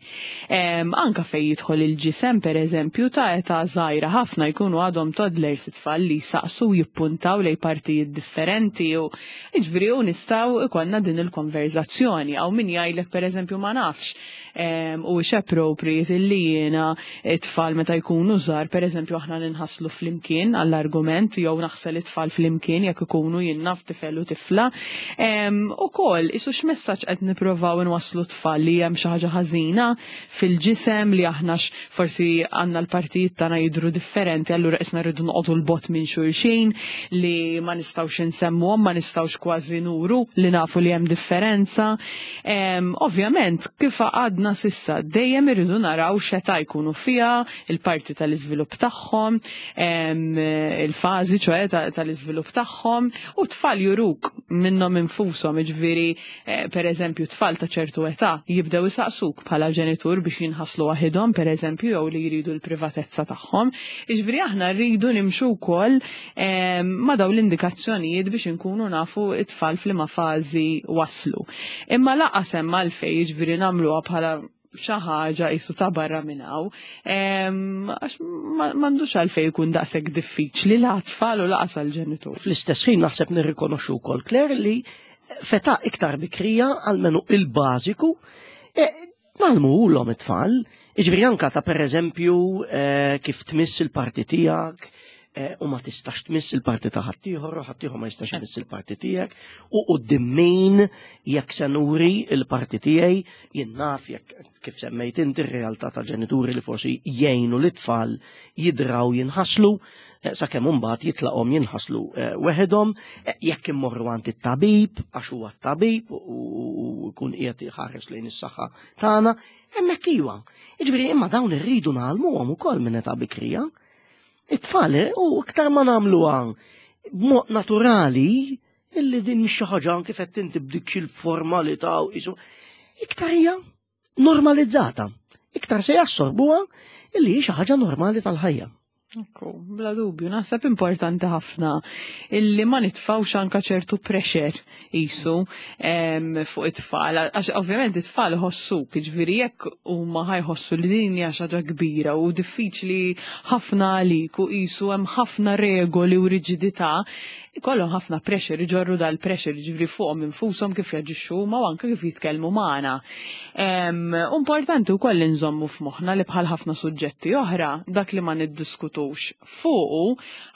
Anka fejn jidħol il-ġisem pereżempju ta' età żgħira ħafna jkunu għadhom toddlers it-tfal li jsaqsu jippuntaw lejn partijiet differenti u Jiġifieri u nistgħu ikollna din il-konverzazzjoni. Hawn min jgħidlek pereżempju ma nafx huwiex appropriate illi jiena it-tfal meta jkunu żgħar pereżempju aħna ninħaslu flimkien għall-argument jew naħsel it-tfal flimkien jekk ikunu jien naf tifel u tifla. Ukoll isu x'messaġġ qed nipprovaw inwasslu t-tfal li hemm xi ħaġa ħażina fil-ġisem li aħna forsi għandna l-partijiet tagħna jidhru differenti allura qisna rridu noqogħdu 'l bogħod minn xulxin li ma nistgħux insemmuhom, ma nistgħux kważi nuru li nafu li hemm differenza. Ovvjament, kif għadna s'issa, dejjem irridu naraw x'età jkunu fiha, il-parti tal-iżvilupp tagħhom, il-fażi ċoe tal-iżvilupp tagħhom, u t-tfal juruk minnhom infushom, jiġifieri Eh, per eżempju, tfal ta' ċertu età jibdew isaqsuk bħala ġenitur biex jinħaslu waħidhom, per eżempju, jew li jridu l-privatezza tagħhom. Iġviri aħna rridu nimxu wkoll eh, ma' daw l-indikazzjonijiet biex inkunu nafu it-tfal f'liema fażi waslu. Imma laqas hemm għalfejn jiġifieri nagħmluha bħala xi ħaġa qisu ta' barra minn hawn. Għax m'għandux għalfejn ikun daqshekk diffiċli la tfal u laqas għall-ġenitur. Fl-istess ħin naħseb nirrikonoxxu wkoll Claire li feta iktar bikrija għalmenu il-bażiku e, nagħlmuhulhom it-tfal. Jiġifieri anka ta' pereżempju e, kif tmiss il-parti tiegħek, Eh, u ma tistax tmiss il-parti ta' ħaddieħor u ħaddieħor ma jistax imiss il-parti tiegħek u qudiem min jekk se nuri il-parti tiegħi jien naf jekk kif semmejt inti r-realtà ta' ġenituri li forsi jgħinu lit-tfal jidraw jinħaslu eh, sakemm imbagħad jitlaqhom jinħaslu eh, weħedhom jekk immorru għand it-tabib għax huwa t-tabib u jkun qiegħed iħares lejn is-saħħa tagħna, hemmhekk iwa. Jiġifieri imma dawn irridu ngħallmuhom ukoll minn età bikrija. It-tfal u iktar ma nagħmluha b'mod naturali illi din mhix xi ħaġa kif qed inti b'dik il-formalità u qisu iktar hija normalizzata. Iktar se jassorbuha illi hi xi ħaġa normali tal-ħajja. Ekku, bla dubju, naħseb importanti ħafna illi ma nitfawx anka ċertu pressure qisu fuq it-tfal, għax ovvjament it-tfal iħossuk, jiġifieri jekk huma ħajħossu li din hija xi ħaġa kbira u diffiċli ħafna għalik u qisu hemm ħafna regoli u riġidità, ikollhom ħafna pressure, iġorru dal-pressure jiġifieri fuqhom infushom kif jaġixxu huma u anke kif jitkellmu magħna. Importanti wkoll li nżommu f'moħħna li bħal ħafna suġġetti oħra, dak li ma niddiskutux fuqu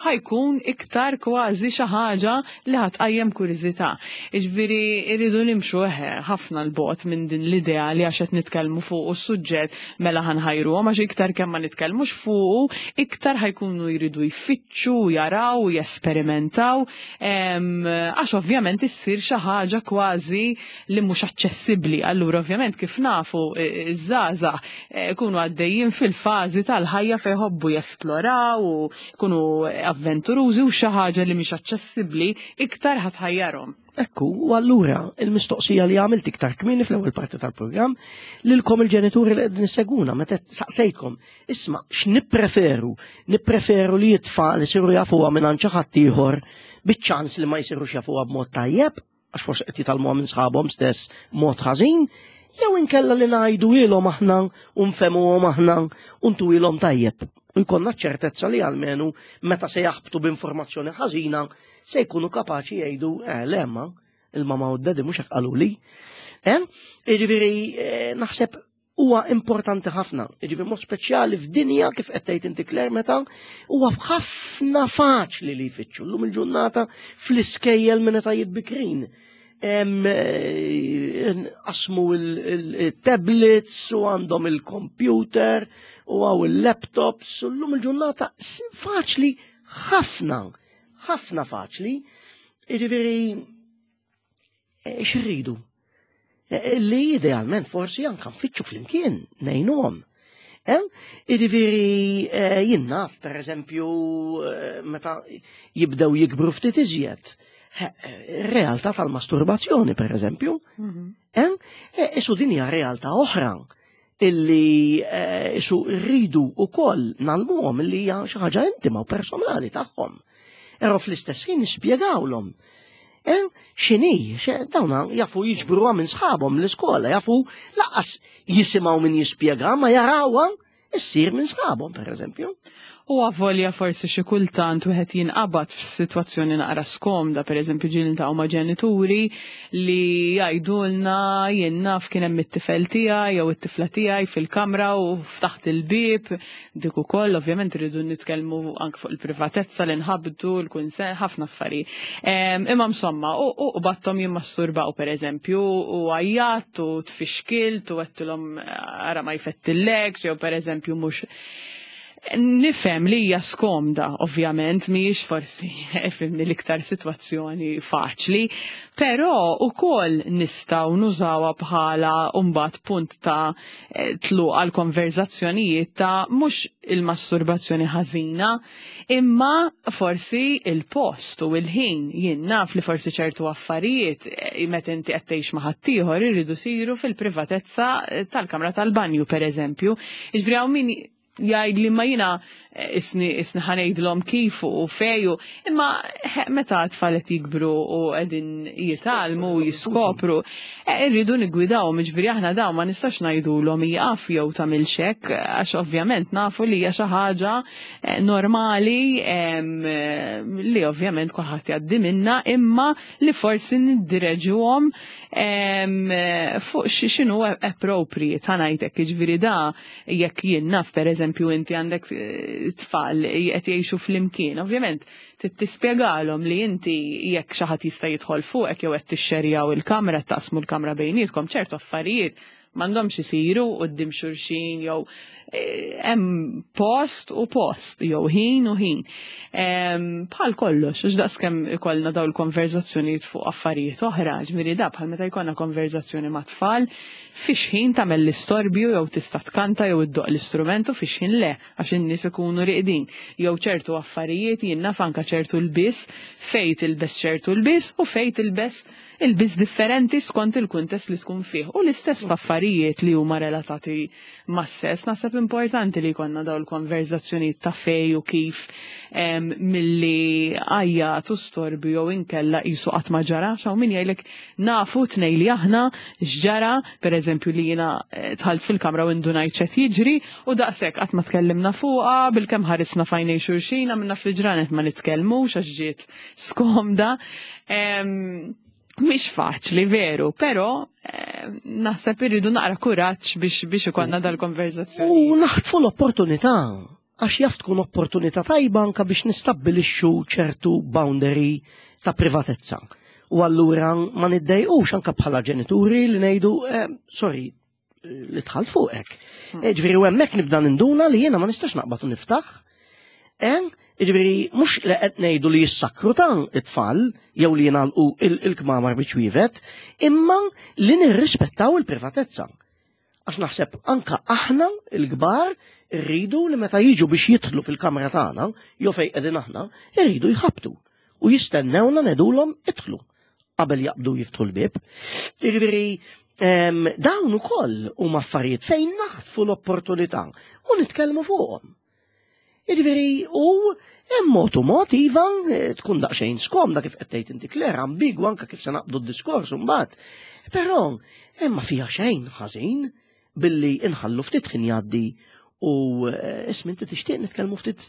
ħa jkun iktar kważi xi ħaġa li ħa tqajjem kurżità. Jiġifieri rridu nimxu eħe ħafna 'l bogħod minn din l-idea li għax qed nitkellmu fuqu s-suġġett mela ħa nħajruhom għax iktar kemm ma nitkellmux fuqu iktar ħa jkunu jridu jfittxu, jaraw, jesperimentaw għax ovvjament issir xi ħaġa kważi li mhux aċċessibbli. Allura ovvjament kif nafu iż-żgħażagħ ikunu eh, għaddejjin fil-fażi tal-ħajja fejn jħobbu jesploraw u jkunu avventurużi u xi ħaġa li mhix aċċessibbli iktar ħatħajjarhom. Ekku, u allura il-mistoqsija li għamilt iktar kmieni fl-ewwel parti tal-programm lilkom il-ġenituri li qegħdin isseguna meta saqsejtkom, isma' x'nippreferu? Nippreferu li t-tfal isiru jafuha minn xi ħadd ieħor biċ-ċans li ma jsirux jafuha b'mod tajjeb għax forsi qed jitgħallmuha minn sħabhom stess mod ħażin, jew inkella li ngħidu ilhom aħna u nfehmuhom aħna u ntuilhom tajjeb. U jkollna ċertezza li almenu meta se jaħbtu b'informazzjoni ħażina se jkunu kapaċi jgħidu eh le ma il-mama u d-daddy mhux hekk qaluli. Eh? Jiġifieri eh, naħseb huwa importanti ħafna, jiġifieri mod speċjali f'dinja kif qed tgħid inti Claire meta huwa ħafna faċli li jfittxu llum il-ġurnata fl-iskejjel minn etajiet bikrin. Eh, qasmu il-tablets u għandhom il-computer u għaw il-laptops u l-lum il-ġurnata faċli ħafna, ħafna faċli. Jiġifieri eh, xirridu? Eh, li idealment forsi anka nfittxu flimkien ngħinuhom. Jiġifieri jien naf, per eżempju, meta jibdew jikbru ftit iżjed realtà tal-masturbazzjoni, per eżempju. Mhm. E, isu din hija realtà oħra illi e, isu rridu wkoll nalmuhom illi hija xi ħaġa intima u personali tagħhom. Però fl-istess ħin nispjegawlhom. E, x'inhi, dawna jafu jiġbruha minn sħabhom l-iskola, jafu laqas jisimgħu min jispjega ma jarawha issir minn sħabhom, per eżempju. U avolja forsi xi kultant wieħed jinqabad f'sitwazzjoni naqra skomda, pereżempju ġieli niltaqgħu ma' ġenituri li jgħidulna jien naf kien hemm it-tifel tiegħi jew it-tifla tiegħi fil-kamra u ftaħt il-bieb, dik ukoll ovvjament irridu nitkellmu anke fuq il-privatezza li nħabbdu, l-kunsens, ħafna affarijiet. Imma insomma, u qbadthom jimmasturbaw pereżempju u għajjatt u tfixkilt u għedtilhom ara ma jfettillekx jew pereżempju mhux Nifhem li hija skomda, ovvjament, mhijiex forsi fimni l-iktar sitwazzjoni faċli, però ukoll nistgħu nużawha bħala mbagħad punt ta' eh, tluq għal konverzazzjonijiet ta' mhux il-masturbazzjoni ħażina, Imma forsi il-post u il-ħin jien naf li forsi ċertu affarijiet eh, meta inti qed tgħix ma' ħaddieħor iridu siru fil-privatezza eh, tal-kamra tal-banju pereżempju. Jiġifieri hawn min jgħid li ma jiena eh, isni isni ħanejdlhom kif u feju, imma meta tfal qed jikbru u qegħdin jitgħallmu u jiskopru, Eh, irridu niggwidawhom, jiġifieri aħna dawn ma nistax ngħidulhom ieqaf jew tagħmilx hekk, għax ovvjament nafu li hija xi ħaġa eh, normali eh, li ovvjament kulħadd jgħaddi minna, imma li forsi niddireġuhom fuq x'inhu appropriate ħa ngħidlek, jiġifieri da jekk jien naf pereżempju inti għandek tfal qed jgħixu flimkien, ovvjament Trid tispjegalhom li inti jekk xi ħadd jista' jidħol fuqek jew qed tixxerjaw il-kamra, qed taqsmu l-kamra bejnietkom, ċertu affarijiet m'għandhomx isiru quddiem xulxin jew eh, hemm post u post jew ħin u ħin. Bħal kollox, għax daqskemm ikollna dawn il-konverzazzjonijiet fuq affarijiet oħra, ġifieri da bħal meta jkollna konverzazzjoni ma' tfal fiex ħin tagħmel l-istorbju jew tista' tkanta jew iddoqq l-istrument u fiex ħin le. għax in-nies ikunu riqdin, jew ċertu affarijiet jien naf anke ċertu lbies, fejn tilbes ċertu lbies u fejn tilbes ilbies differenti skont il-kuntest li tkun fih. U l-istess f'affarijiet li huma relatati mas-sess, naħseb importanti li jkollna dawn il-konverżazzjonijiet ta' fejn u kif milli għajjat u storbju jew inkella qisu qatt ma ġara, għax hawn min jgħidlek Nafu tnej li aħna x'ġara, per eżempju li jiena eh, dħalt fil-kamra u indunajt x'qed jiġri u daqshekk qatt ma tkellimna fuqha, bilkemm ħarisna f'għajnej xulxin, għamilna ftit ġranet ma nitkellmux għax ġiet skomda. Mhix faċli veru, però eh, naħseb irridu naqra kuraġġ biex biex ikollna dal-konverzazzjoni. U naħtfu l-opportunità għax jaf tkun opportunità tajba anka biex nistabbilixxu ċertu boundary ta' privatezza. U allura ma niddejqux anka bħala ġenituri li ngħidu eh, sorry, li tħall fuqek. Hmm. Eh, ġifieri u hemmhekk nibda ninduna li jiena ma nistax naqbad u niftaħ. Eh, ġifieri mhux li qed ngħidu li jissakru ta' it-tfal jew li jingħalqu il-kmamar biex wievet, imma li nirrispettaw il-privatezza. Għax naħseb anka aħna il-kbar irridu li meta jiġu biex jidħlu fil-kamra tagħna jew fejn qegħdin aħna, irridu jħabbtu u jistennewna ngħidulhom idħlu qabel jaqbdu jiftħu l-bieb. Jiġifieri ehm, dawn ukoll huma affarijiet fejn naħtfu l-opportunità u nitkellmu fuqhom. Jiġifieri u hemm mod u mod iva eh, tkun daqsxejn skomda kif qed tgħid inti Claire ambigwa anke kif se naqbdu d-diskors imbagħad. Però hemm ma fiha xejn ħażin billi inħallu ftit ħin jgħaddi U eh, ismi inti tixtieq nitkellmu ftit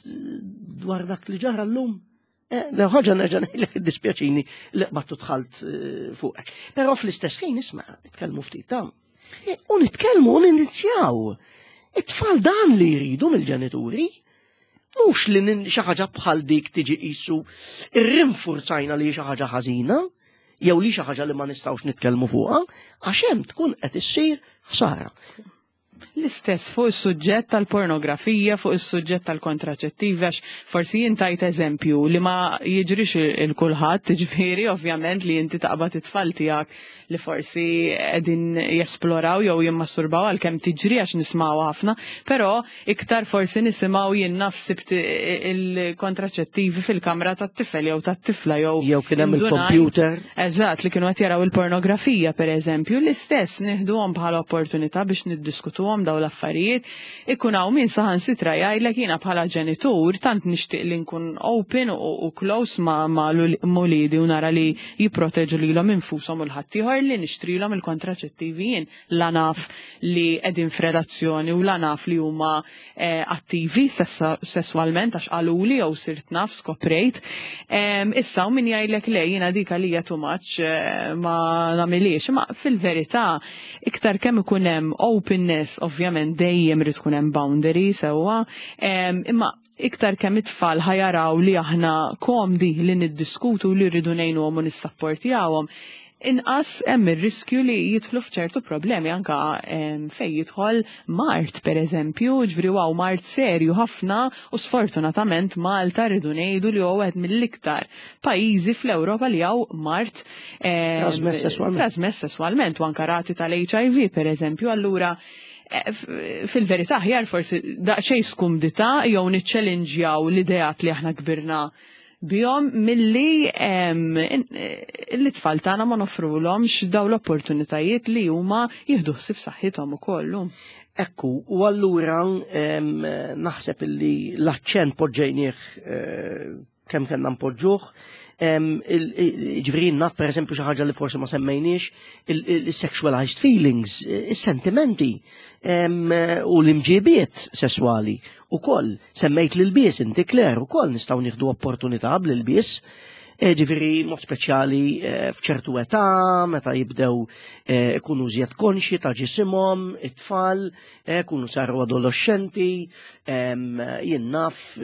dwar dak li ġara llum. Eh, le ħaġa nerġa' ngħidlek iddispjaċini li qbattu dħalt eh, fuqek. Però fl-istess ħin isma' nitkellmu ftit ta' U nitkellmu u ninizjaw. It-tfal dan li jridu mill-ġenituri. Mhux li xi ħaġa bħal dik tiġi qisu irrinfurzajna li xi ħaġa ħażina jew li xi ħaġa li ma nistgħux nitkellmu fuqha, għax hemm tkun qed issir ħsara. L-istess fuq is-suġġett tal-pornografija, fuq is-suġġett tal-kontraċettivi, għax forsi jien tajt eżempju li ma jiġrix il kulħadd, ġifieri ovvjament li inti taqbad it-tfal tiegħek li forsi qegħdin jesploraw jew jimmasturbaw għalkemm tiġri għax nismgħu ħafna, però iktar forsi nisimgħu jien naf sibt il-kontraċettivi fil-kamra tat-tifel jew tat-tifla jew jew kien hemm il-computer. Eżatt, li kienu qed jaraw il-pornografija pereżempju, l-istess nieħduhom bħala opportunità biex niddiskutuhom dawn l-affarijiet. Ikun hawn min saħansitra jgħidlek jiena bħala ġenitur tant nixtieq li nkun open u close ma' uliedi u nara li jipproteġu lilhom infushom u l-ħaddieħor li nixtrilhom il-kontraċettivi jien la naf li qegħdin f'relazzjoni u la naf li huma eh, attivi sesswalment għax qaluli jew sirt naf skoprejt. Issa u min jgħidlek le jiena dik għalija too much eh, ma nagħmilix, imma fil-verità iktar kemm ikun hemm openness ovvjament dejjem irid tkun hemm boundary sewwa, imma iktar kemm it-tfal ħajaraw li aħna komdi li niddiskutu li rridu ngħinuhom u nissapportjawhom, inqas hemm ir-riskju li jidħlu f'ċertu problemi anka fejn jidħol mard pereżempju, ġifieri hawn mard serju ħafna u sfortunatament Malta rridu ngħidu li huwa wieħed mill-iktar pajjiżi fl-Ewropa li hawn mard trasmess sesswalment. Trasmess sesswalment u anka rati tal-HIV pereżempju, allura eh, fil-verità aħjar forsi daqsxejn skumdità jew niċċelinġjaw l-ideat li aħna kbirna bihom milli l-tfal tagħna ma nofrulhomx daw l-opportunitajiet li huma jieħdu ħsieb saħħithom ukoll. Ekku, u allura naħseb illi l-aċċent poġġejnieh eh, kemm kellna npoġġuh. Ġifieri naf pereżempju xi ħaġa li forsi ma semmejniex, il-sexualized feelings, is-sentimenti u l-imġibiet sesswali ukoll. Semmejt l-ilbies inti Claire ukoll nistgħu nieħdu opportunità bl-ilbies. E, ġifieri mod speċjali e, f'ċertu età, meta jibdew e, ikunu żjed konxi ta' ġisimhom, it-tfal, kunu saru adolescenti, jien naf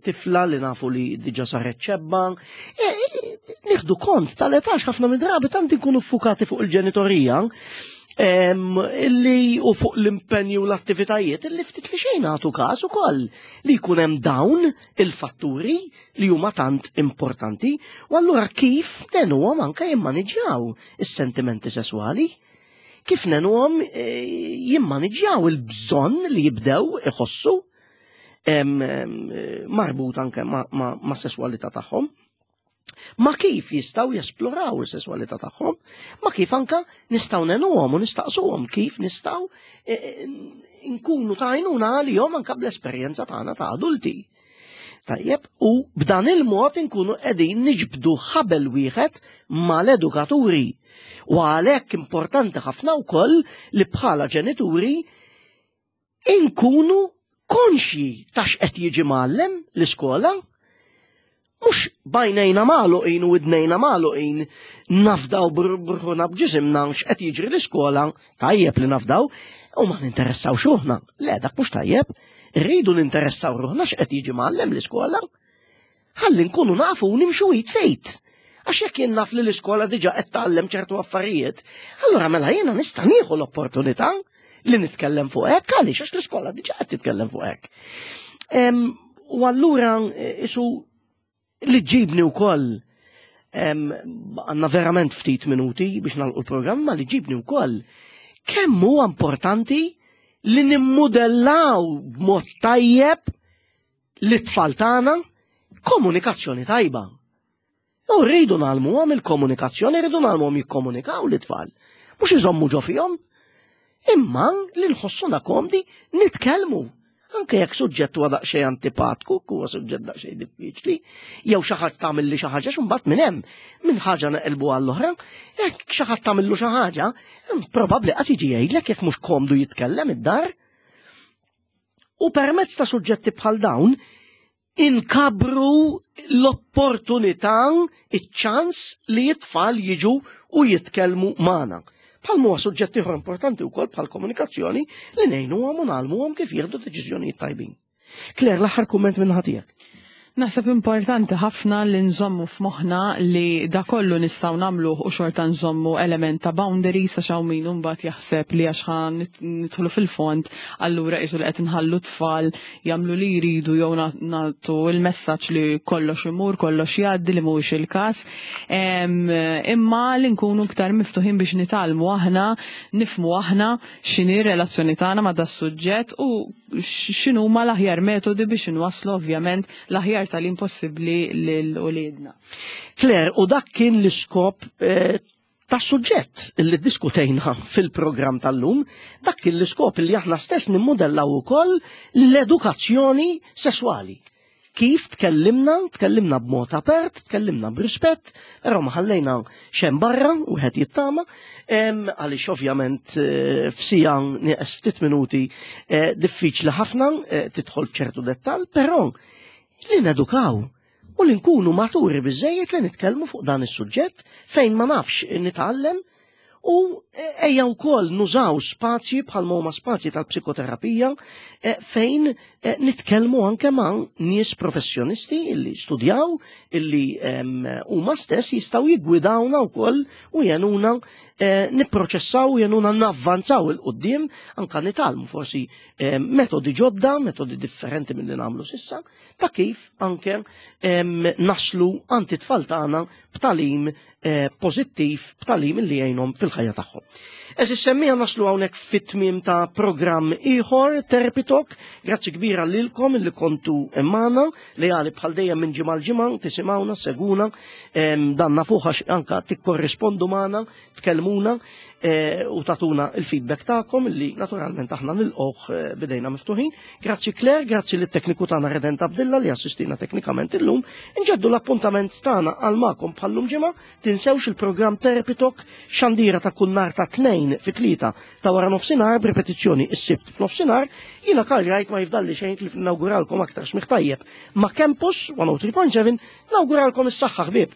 tifla li nafu li diġa saret ċebba. Nieħdu kont tal-età ħafna minn drabi tant inkunu ffukati fuq il-ġenitorija illi u fuq l-impenju u l-attivitajiet illi ftit li xejn nagħtu każ ukoll li jkun hemm dawn il-fatturi li huma tant importanti u allura kif nenuhom anke jimmaniġġjaw is-sentimenti sesswali kif nenuhom eh, jimmaniġġjaw il-bżonn li jibdew iħossu marbut anke ma', ma, ma sesswalità tagħhom ma kif jistaw jesploraw is-sesswalità tagħhom, ma kif anka nistgħu nenuhom u nistaqsuhom kif nistgħu e, e, nkunu ta' għajnuna għalihom anka bl-esperjenza tagħna ta' adulti. Tajjeb, u b'dan il-mod inkunu qegħdin niġbdu ħabel wieħed mal-edukaturi. U għalhekk importanti ħafna wkoll li bħala ġenituri inkunu konxji ta' x'qed jiġi mgħallem l-iskola, mhux bajnejna magħluqin u widnejna magħluqin nafdaw bruħuna b'ġisimna x'qed jiġri l-iskola, tajjeb li nafdaw, u ma ninteressawx ruħna. Le, dak mhux tajjeb. Rridu ninteressaw ruħna x'qed jiġi mgħallem l-iskola. Ħalli nkunu nafu u nimxu id fejt. Għax jekk jien naf li l-iskola diġà qed tgħallem ċertu affarijiet, allura mela jiena nista' nieħu l-opportunità li nitkellem fuq hekk għaliex għax l-iskola diġà qed titkellem fuq hekk. U allura isu li ġibni wkoll għandna verament ftit minuti biex nagħlqu l-programm, ma li ġibni wkoll kemm huwa importanti li nimmudellaw b'mod tajjeb lit-tfal tagħna komunikazzjoni tajba. U rridu nagħlmuhom il-komunikazzjoni, rridu nagħlmuhom jikkomunikaw l-tfal. Mhux iżommu ġo fihom, imma li nħossuna komdi nitkellmu. Anke jekk suġġett huwa daqsxejn antipatku, huwa suġġett daqsxejn diffiċli, jew xi ħadd tagħmilli xi ħaġa x'imbagħad minn hemm, minn ħaġa neqilbu għall-oħra, jekk xi ħadd tagħmillu xi ħaġa, probabbli qas jiġi jgħidlek jekk mhux komdu jitkellem id-dar. U permezz ta' suġġetti bħal dawn, inkabru l-opportunità, iċ-ċans li it-tfal jiġu u jitkellmu magħna. Bħal huwa suġġett ieħor importanti wkoll bħal komunikazzjoni li ngħinuhom u ngħallmuhom kif jieħdu deċiżjonijiet tajbin. Claire, l-aħħar kumment minn tiegħek. Naħseb importanti ħafna li nżommu f'moħħna li da kollu nistgħu nagħmluh u xorta nżommu element ta' boundaries, għax hawn min mbagħad jaħseb li għax ħa nidħlu fil-fond allura qisu li qed nħallu tfal jagħmlu li jridu jew nagħtu il-messaġġ li kollox imur, kollox jgħaddi, li mhuwiex il-każ. Imma li nkunu iktar miftuħin biex nitgħallmu aħna, nifhmu aħna x'inhi r-relazzjoni tagħna ma' das-suġġett u x'inhuma l-aħjar metodi biex inwasslu ovvjament l-aħjar tagħlim possibbli lil uliedna. Claire, u dak kien l-iskop ta' suġġett li diskutejna fil-programm tal-lum, dak kien l-iskop li aħna stess nimmodellaw ukoll l-edukazzjoni sesswali. Kif tkellimna, tkellimna b'mod apert, tkellimna b'rispett, però ma ħallejna xejn barra u qed jittama, għaliex ovvjament f'sija nieqes ftit minuti diffiċli ħafna tidħol f'ċertu dettall, però li nedukaw u li nkunu maturi biżejjed li nitkellmu fuq dan is-suġġett fejn ma nafx nitgħallem u ejja wkoll nużaw spazji bħal huma spazji tal-psikoterapija fejn nitkellmu anke ma' nies professjonisti illi studjaw, illi huma stess jistgħu jiggwidawna wkoll u jgħinuna nipproċessaw u jgħinuna navvanzaw 'il quddiem, anke nitgħallmu forsi metodi ġodda, metodi differenti milli nagħmlu s'issa, ta' kif anke naslu għand it-tfal tagħna b'tagħlim pożittiv, b'tagħlim li jgħinhom fil-ħajja tagħhom. Għeżież semmiegħa, naslu hawnhekk fit-tmiem ta' programm ieħor Therapy Talk. Grazzi kbira lilkom li kontu magħna, li għali bħal dejjem minn ġimgħa l-ġimgħa tisimgħuna, seguna, danna fuħax anka tikkorrispondu magħna, tkellmuna u tagħtuna il-feedback tagħkom li naturalment aħna nilqgħuh b'idejna miftuħin. Grazzi Claire, grazzi lit tekniku tagħna Redent Abdilla li assistina teknikament illum. Inġeddu l-appuntament tagħna għal magħkom bħallum ġimgħa. Tinsewx il-programm Therapy Talk, xandira ta' kull nhar ta' 2 fit-3 ta' wara nofsinhar, b'ripetizzjoni is-Sibt f'nofsinhar. Jiena Karl Wright ma jifdalli xejn li nawguralkom aktar smigħ tajjeb ma' Campus 103.7, nawguralkom is-saħħa, ħbieb.